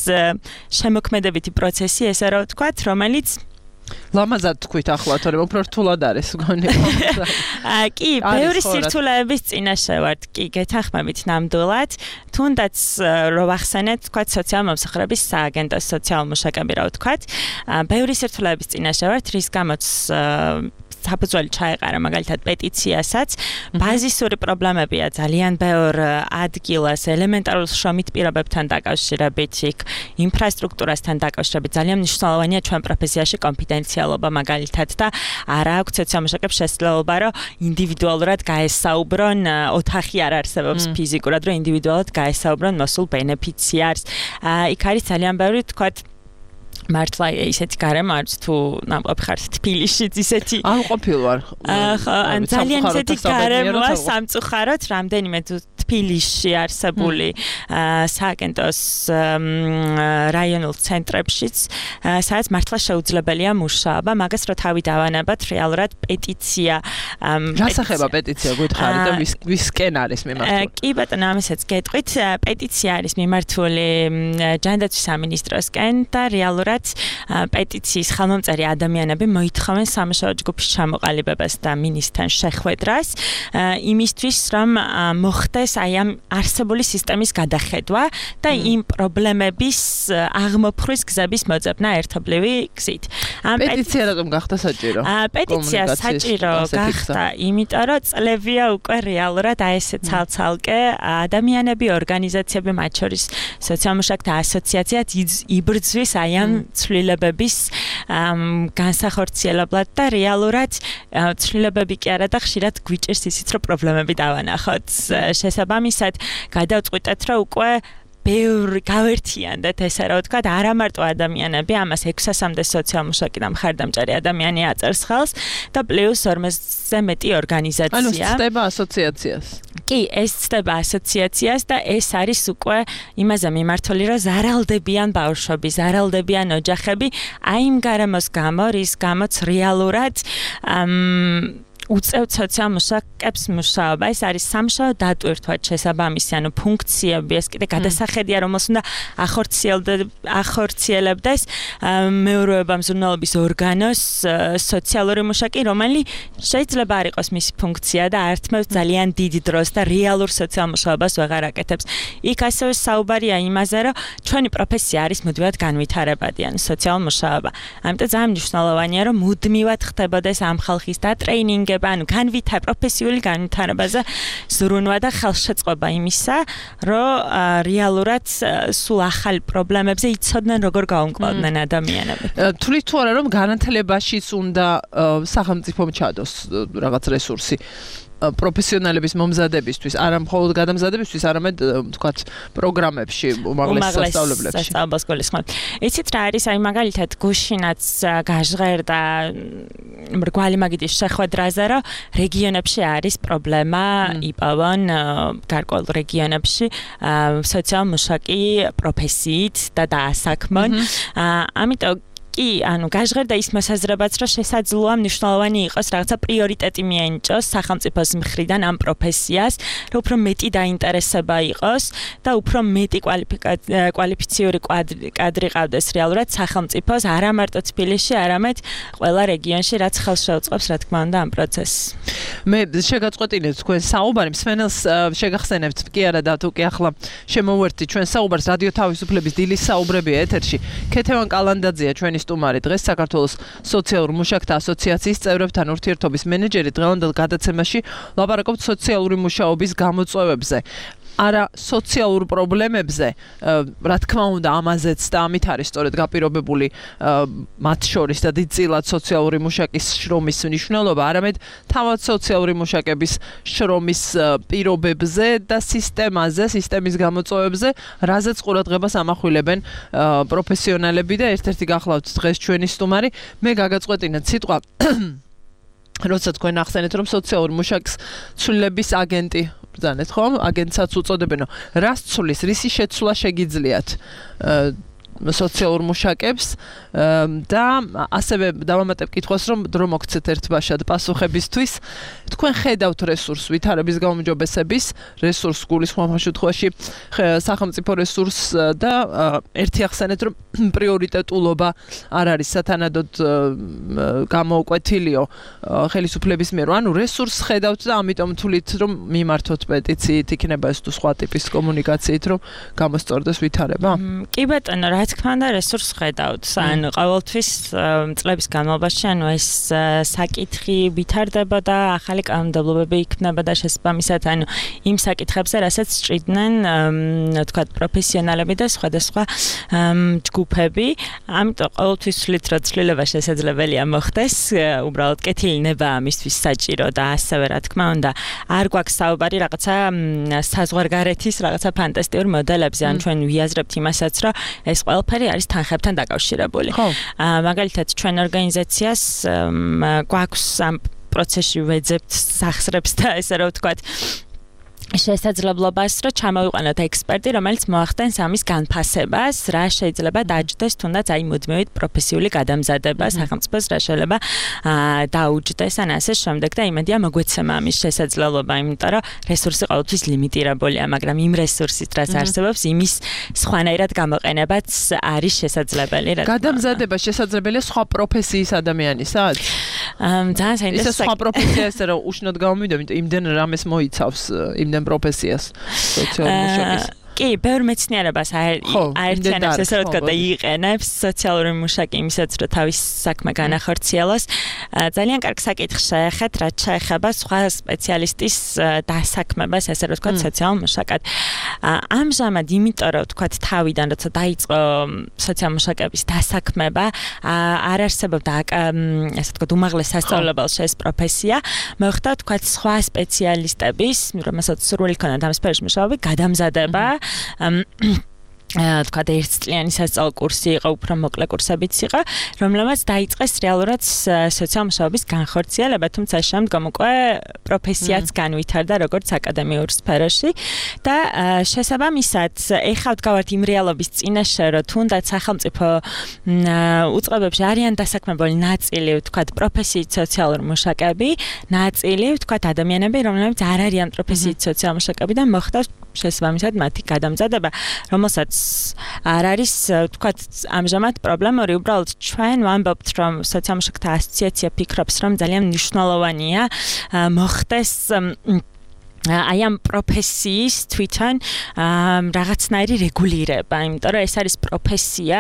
შემოქმედებითი პროცესი, ესე რომ ვთქვათ, რომელიც ლამაზად თქვით ახლა, თორემ უფრო რთულად არის გონი. კი, ბევრი სირთულეების წინაშე ვართ, კი, გეთანხმებით ნამდვილად. თუნდაც რო ვახსენეთ, თქვათ, სოციალურ მომსახურების სააგენტოს სოციალურ მუშაკები, რა ვთქვათ, ბევრი სირთულეების წინაშე ვართ, რის გამოც საფუძველი ჩაეყარა მაგალითად პეტიციასაც. ბაზისური პრობლემებია ძალიან ბევრ ადგილას, ელემენტარულ შრომით პირობებთან დაკავშირებით, ინფრასტრუქტურასთან დაკავშირებით. ძალიან მნიშვნელოვანია ჩვენ პროფესიაში კონფიდენციალობა მაგალითად და არ აქვს სოციალურ მუშაკებს შესაძლებლობა, რომ ინდივიდუალურად გაესაუბრონ, ოთახი არ არსებობს ფიზიკურად, რომ ინდივიდუალურად გაესაუბრონ მოსულ ბენეფიციარს. იქ არის ძალიან ბევრი, თქვათ, მართლა ისეთი გარემო არის თუ ნამყოფი ხარ თბილისშიც ისეთი არ ყოფილ ვარ ან ძალიან ისეთი გარემოა სამწუხაროდ რამდენიმე თუ თბილისში არსებული სააგენტოს რაიონულ ცენტრებშიც სადაც მართლა შეუძლებელია მუშაობა მაგას რო თავი დავანებათ რეალურად პეტიცია რასახება პეტიცია გითხარი და ვისკენ არის მიმართული კი ბატონო ამასაც გეტყვით პეტიცია არის მიმართული ჯანდაცვის სამინისტროსკენ და რეალურად პეტიციის ხელმომწერი ადამიანები მოითხოვენ სამუშაო ჯგუფის ჩამოყალიბებას და მინისტრთან შეხვედრას იმისთვის რომ მოხდეს აი ამ არსებული სისტემის გადახედვა და იმ პრობლემების აღმოფხვის გზების მოძებნა ერთობლივი გზით. პეტიცია რატომ გახდა საჭირო? პეტიცია საჭირო გახდა, იმიტომ რომ წლებია უკვე რეალურად აი ესე ცალ-ცალკე ადამიანები, ორგანიზაციები, მათ შორის სოციალ-მუშაკთა ასოციაციაც იბრძვის აი ამ ცვლილებების განსახორციელებლად და რეალურად ცვლილებები კი არა და ხშირად გვიჭირს ისიც რომ პრობლემები დავანახოთ. შესაბამისად გადავწყვიტეთ რომ უკვე ბევრი გავერთიანდეთ ესე რა ვთქვათ, არა მარტო ადამიანები, ამას 600-მდე სოციალ-მუშაკი და მხარდამჭერი ადამიანი აწერს ხელს და პლუს 40-ზე მეტი ორგანიზაცია. ანუ ცდება ასოციაციას. კი, ეს ცდება ასოციაციას და ეს არის უკვე იმაზე მიმართული, რომ ზარალდებიან ბავშვები, ზარალდებიან ოჯახები, აი იმ გარემოს გამო, რის გამოც რეალურად უწევთ სოციალ-მუშაკებს მუშაობა. ეს არის სამშაბათ დატვირთვად შესაბამისი, ანუ ფუნქციები, ეს კიდე გადასახედია, რომელს უნდა ახორციელებდეს მეურვეობა მზრუნველობის ორგანოს სოციალური მუშაკი, რომელიც შეიძლება არ იყოს მისი ფუნქცია და ართმევს ძალიან დიდ დროს და რეალურ სოციალ-მუშაობას ვეღარ აკეთებს. იქ ასევე საუბარია იმაზე, რომ ჩვენი პროფესია არის მუდმივად განვითარებადი, ანუ სოციალ-მუშაობა. ამიტომ ძალიან მნიშვნელოვანია, რომ მუდმივად ხდებოდეს ამ ხალხის დატრეინინგება, ანუ პროფესიული განვითარებაზე ზრუნვა და ხელშეწყობა იმისა, რომ რეალურად სულ ახალ პრობლემებზე იცოდნენ როგორ გაუმკლავდნენ ადამიანები. თვლით თუ არა რომ განათლებაშიც უნდა სახელმწიფომ ჩადოს რაღაც რესურსი პროფესიონალების მომზადებისთვის, არა მხოლოდ გადამზადებისთვის, არამედ თქვათ პროგრამებში, უმაღლეს სასწავლებლებში. სასწავლებელს გულისხმობ. იცით რა არის, აი მაგალითად გუშინაც გაჟღერდა მრგვალი მაგიდის შეხვედრაზე, რომ რეგიონებში არის პრობლემა იპოვონ გარკვეულ რეგიონებში სოციალ-მუშაკი პროფესიით და დაასაქმონ. ამიტომ კი, ანუ გაჟღერდა ის მოსაზრებაც, რომ შესაძლოა მნიშვნელოვანი იყოს რაღაცა პრიორიტეტი მიენიჭოს სახელმწიფოს მხრიდან ამ პროფესიას, რომ უფრო მეტი დაინტერესება იყოს და უფრო მეტი კვალიფიციური კადრი ყავდეს რეალურად სახელმწიფოს, არა მარტო თბილისში, არამედ ყველა რეგიონში, რაც ხელს შეუწყობს, რა თქმა უნდა, ამ პროცესს. მე შეგაწყვეტინეთ თქვენ საუბარი, მსმენელს შეგახსენებთ, კი არა და თუ კი ახლა შემოვერთით ჩვენ საუბარს რადიო თავისუფლების დილის საუბრები ეთერში. ქეთევან კალანდაძეა ჩვენი სტუმარი, დღეს საქართველოს სოციალურ მუშაკთა ასოციაციის წევრებთან ურთიერთობის მენეჯერი, დღევანდელ გადაცემაში ლაპარაკობთ სოციალური მუშაობის გამოწვევებზე. არა სოციალურ პრობლემებზე, რა თქმა უნდა, ამაზეც და ამით არის სწორედ გაპირობებული მათ შორის და დიდწილად სოციალური მუშაკის შრომის მნიშვნელობა, არამედ თავად სოციალური მუშაკების შრომის პირობებზე და სისტემაზე, სისტემის გამოწვევებზე, რაზეც ყურადღებას ამახვილებენ პროფესიონალები და ერთ-ერთი გახლავთ დღეს ჩვენი სტუმარი. მე გაგაწყვეტინეთ სიტყვა როცა თქვენ ახსენეთ, რომ სოციალურ მუშაკს ცვლილების აგენტი ბრძანეთ, ხო? აგენტსაც უწოდებენ. რას ცვლის, რისი შეცვლა შეგიძლიათ სოციალურ მუშაკებს და ასევე დავამატებ კითხვას, რომ დრო მოგცეთ ერთბაშად პასუხებისთვის. თქვენ ხედავთ რესურს ვითარების გაუმჯობესების რესურს გულისხმობ შემთხვევაში სახელმწიფო რესურს და ერთი ახსენეთ, რომ პრიორიტეტულობა არ არის სათანადოდ გამოუკვეთილიო ხელისუფლების მიერ. ანუ რესურს ხედავთ და ამიტომ თვლით, რომ მიმართოთ პეტიციით, იქნება ეს თუ სხვა ტიპის კომუნიკაციით, რომ გამოსწორდეს ვითარება? კი ბატონო, რა თქმა უნდა, რესურს ხედავთ. ანუ ყოველთვის წლების განმავლობაში, ანუ ეს საკითხი ვითარდებოდა, ახალი კანონმდებლობები იქმნებოდა შესაბამისად, ანუ იმ საკითხებზე, რასაც ჭრიდნენ, თქვათ, პროფესიონალები და სხვადასხვა ჯგუფები. ამიტომ ყოველთვის ვთვლით, რომ ცვლილება შესაძლებელია მოხდეს, უბრალოდ კეთილინება ამისთვის საჭირო და ასევე, რა თქმა უნდა, არ გვაქვს საუბარი რაღაცა საზღვარგარეთის რაღაცა ფანტასტიკურ მოდელებზე, ან ჩვენ ვიაზრებთ იმასაც, რომ ეს ყველაფერი არის თანხებთან დაკავშირებული. მაგალითად, ჩვენ ორგანიზაციას გვაქვს ამ პროცესში ვეძებთ სახსრებს და ესე რა ვთქვათ, შესაძლებლობას, რომ ჩამოვიყვანოთ ექსპერტი, რომელიც მოახდენს ამის განფასებას, რა შეიძლება დაჯდეს, თუნდაც აი მუდმივად პროფესიული გადამზადება სახელმწიფოს რა შეიძლება დაუჯდეს ან ასე შემდეგ და იმედია მოგვეცემა ამის შესაძლებლობა, იმიტომ რომ რესურსი ყოველთვის ლიმიტირებულია, მაგრამ იმ რესურსით, რაც არსებობს, იმის სხვანაირად გამოყენებაც არის შესაძლებელი. გადამზადება შესაძლებელია სხვა პროფესიის ადამიანისაც? ძალიან საინტერესო. ეს სხვა პროფესია ესე რომ უშნოდ გამომიდო, იმიტომ იმდენ რამეს მოიცავს იმდენ პროფესიას სოციალური მუშაკის. კი, ბევრ მეცნიერებას აერთიანებს ესე რომ თქვა და იყენებს სოციალური მუშაკი იმისაც რომ თავის საქმე განახორციელოს. ძალიან კარგ საკითხს შეეხეთ, რაც შეეხება სხვა სპეციალისტის დასაქმებას, ესე რომ თქვა სოციალურ მუშაკად. ამჟამად იმიტომ რომ თქვა თავიდან როცა დაიწყო სოციალურ მუშაკების დასაქმება, არ არსებობდა ესე თქვა უმაღლეს სასწავლებელში ეს პროფესია. მოხდა თქვა სხვა სპეციალისტების, რომელსაც სურვილი ჰქონდათ ამ სფეროში მუშაობი, გადამზადება თქვა ერთწლიანი სასწავლო კურსი იყო, უფრო მოკლე კურსებიც იყო, რომელმაც დაიწყეს რეალურად სოციალური მუშაობის განხორციელება, თუმცა შემდგომ უკვე პროფესიაც განვითარდა როგორც აკადემიურ სფეროში და შესაბამისად, ეხლა ვდგავართ იმ რეალობის წინაშე, რომ თუნდაც სახელმწიფო უწყებებში არიან დასაქმებული ნაწილი, თქვა პროფესიით სოციალური მუშაკები, ნაწილი, თქვა ადამიანები, რომლებიც არ არიან პროფესიით სოციალური მუშაკები და მოხდათ შესაბამისად მათი გადამზადება, რომელსაც არ არის, თქვა, ამჟამად პრობლემური, უბრალოდ ჩვენ ვამბობთ, რომ სოციალურ მუშაკთა ასოციაცია ფიქრობს, რომ ძალიან მნიშვნელოვანია მოხდეს აი ამ პროფესიის თვითონ რაღაცნაირი რეგულირება, იმიტომ რომ ეს არის პროფესია,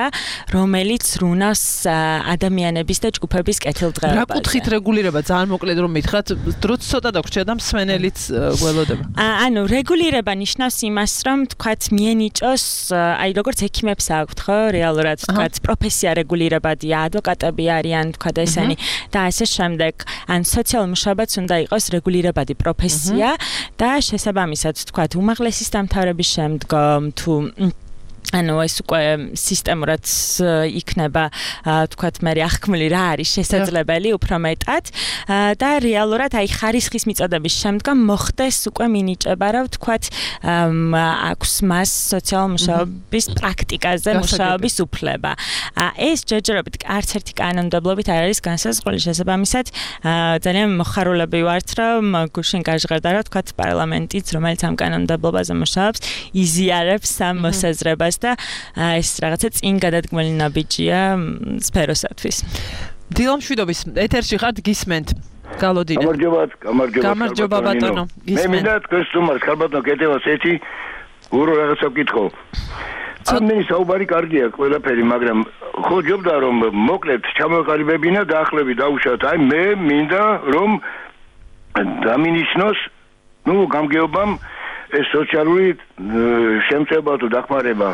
რომელიც რუნავს ადამიანების და ჯგუფების კეთილდღეობაზე. რა კუთხით რეგულირება? ძალიან მოკლედ რომ მითხრათ, დროც ცოტა დაგვრჩა და მსმენელიც გველოდება. ანუ რეგულირება ნიშნავს იმას, რომ თქვათ მიენიჭოს, აი როგორც ექიმებს აქვთ, ხო, რეალურად თქვათ პროფესია რეგულირებადია, ადვოკატები არიან, თქვათ ესენი და ასე შემდეგ. ან სოციალურ მუშაობაც უნდა იყოს რეგულირებადი პროფესია. და შესაბამისად თქვათ უმაღლესის დამთავრების შემდგომ თუ ანუ ეს უკვე სისტემურად იქნება თქვათ მე აღქმული რა არის შესაძლებელი უფრო მეტად და რეალურად აი ხარისხის მიწოდების შემდგომ მოხდეს უკვე მინიჭება რა თქვათ აქვს მას სოციალურ მუშაობის პრაქტიკაზე მუშაობის უფლება ეს ჯერჯერობით არც ერთი კანონმდებლობით არ არის განსაზღვრული შესაბამისად ძალიან მოხარულები ვართ რომ გუშინ გაჟღერდა რა თქვათ პარლამენტიც რომელიც ამ კანონმდებლობაზე მუშაობს იზიარებს ამ მოსაზრებას და ეს რაღაცა წინ გადადგმული ნაბიჯია სფეროსათვის. დილამშვიდობის ეთერში ხართ გისმენთ. გალოდინე. გამარჯობა ბატონო. მე მინდა თქვენ სტუმარს ხალბატონო კეთებას ეცი ურო რაღაცა ვკითხო. ამენი საუბარი კარგია ყველაფერი, მაგრამ ხო ჯობდა რომ მოკლედ ჩამოყალიბებინა და ახლები დაუშვათ. აი მე მინდა რომ დამინიშნოს გამგეობამ ეს სოციალური შემწება თუ დახმარება.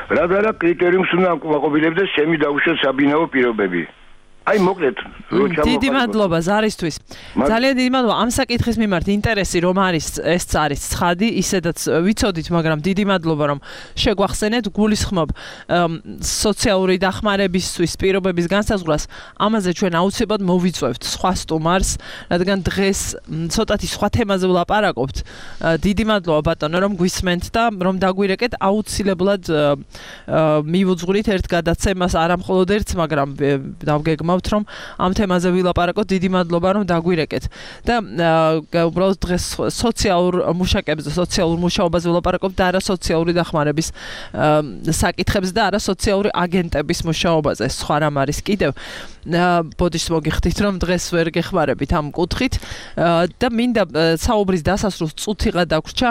რა კრიტერიუმს უნდა აკმაყოფილებდეს ჩემი დაუშვათ საბინაო პირობები. აი მოკლედ დიდი მადლობა ზარისთვის. ძალიან დიდი მადლობა ამ საკითხის მიმართ ინტერესი რომ არის ეს არის ცხადი, ისედაც ვიცოდით, მაგრამ დიდი მადლობა რომ შეგვახსენეთ, გულისხმობ სოციალური დახმარებისთვის პირობების განსაზღვრას. ამაზე ჩვენ აუცილებლად მოვიწევთ სხვა სტუმარს, რადგან დღეს ცოტათი სხვა თემაზე ვლაპარაკობთ. დიდი მადლობა ბატონო რომ გვისმენთ და რომ დაგვირეკეთ, აუცილებლად მივუძღვრით ერთ გადაცემას, არა მხოლოდ ერთს, მაგრამ დავგეგმავთ რომ ამ თემაზე ვილაპარაკოთ. დიდი მადლობა რომ დაგვირეკეთ და უბრალოდ დღეს სოციალურ მუშაკებზე, სოციალურ მუშაობაზე ვილაპარაკობთ და არა სოციალური დახმარების საკითხებზე და არა სოციალური აგენტების მუშაობაზე. სხვა რამ არის კიდევ. ბოდიშს მოგიხდით რომ დღეს ვერ გეხმარებით ამ კუთხით და მინდა საუბრის დასასრულს წუთიღა დაგვრჩა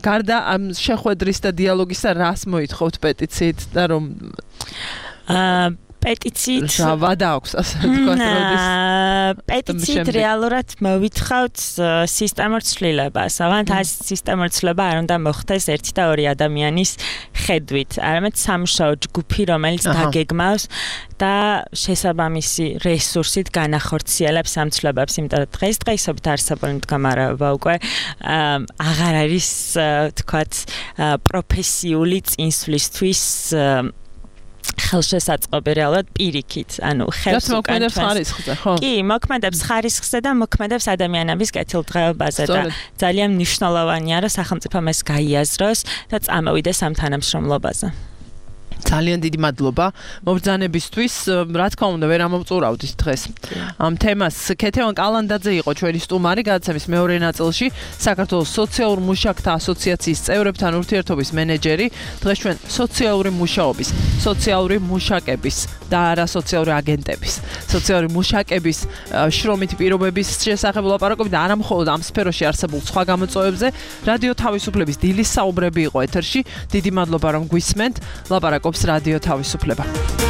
გარდა ამ შეხვედრის და დიალოგისა რას მოითხოვთ პეტიციით და რომ პეტიციით ვადა აქვს ასე თქვათ როდის პეტიციით რეალურად მოვითხოვთ სისტემურ ცვლილებას. ავანთ ეს სისტემურ ცვლილება არ უნდა მოხდეს ერთი და ორი ადამიანის ხედვით, არამედ სამუშაო ჯგუფი, რომელიც დაგეგმავს და შესაბამისი რესურსით განახორციელებს ამ ცვლილებებს, იმიტომ რომ დღესდღეობით არსებული მდგომარეობა უკვე აღარ არის თქვათ პროფესიული წინსვლისთვის ხელშესაწყობი რეალურად პირიქით, ანუ ხელს მოქმედებს ხარისხზე, ხო? კი, მოქმედებს ხარისხზე და მოქმედებს ადამიანების კეთილდღეობაზე და ძალიან მნიშვნელოვანია, რომ სახელმწიფომ ეს გაიაზროს და წამოვიდეს ამ თანამშრომლობაზე. ძალიან დიდი მადლობა მობრძანებისთვის. რა თქმა უნდა, ვერ ამოვწურავდით დღეს ამ თემას. ქეთევან კალანდაძე იყო ჩვენი სტუმარი გადაცემის მეორე ნაწილში, საქართველოს სოციალურ მუშაკთა ასოციაციის წევრებთან ურთიერთობის მენეჯერი. დღეს ჩვენ სოციალური მუშაობის, სოციალური მუშაკების და არასოციალური აგენტების, სოციალური მუშაკების შრომითი პირობების შესახებ ვლაპარაკობთ და არა მხოლოდ ამ სფეროში არსებულ სხვა გამოწვევებზე. რადიო თავისუფლების დილის საუბრები იყო ეთერში. დიდი მადლობა რომ გვისმენთ. ლაპარაკობს რადიო თავისუფლება.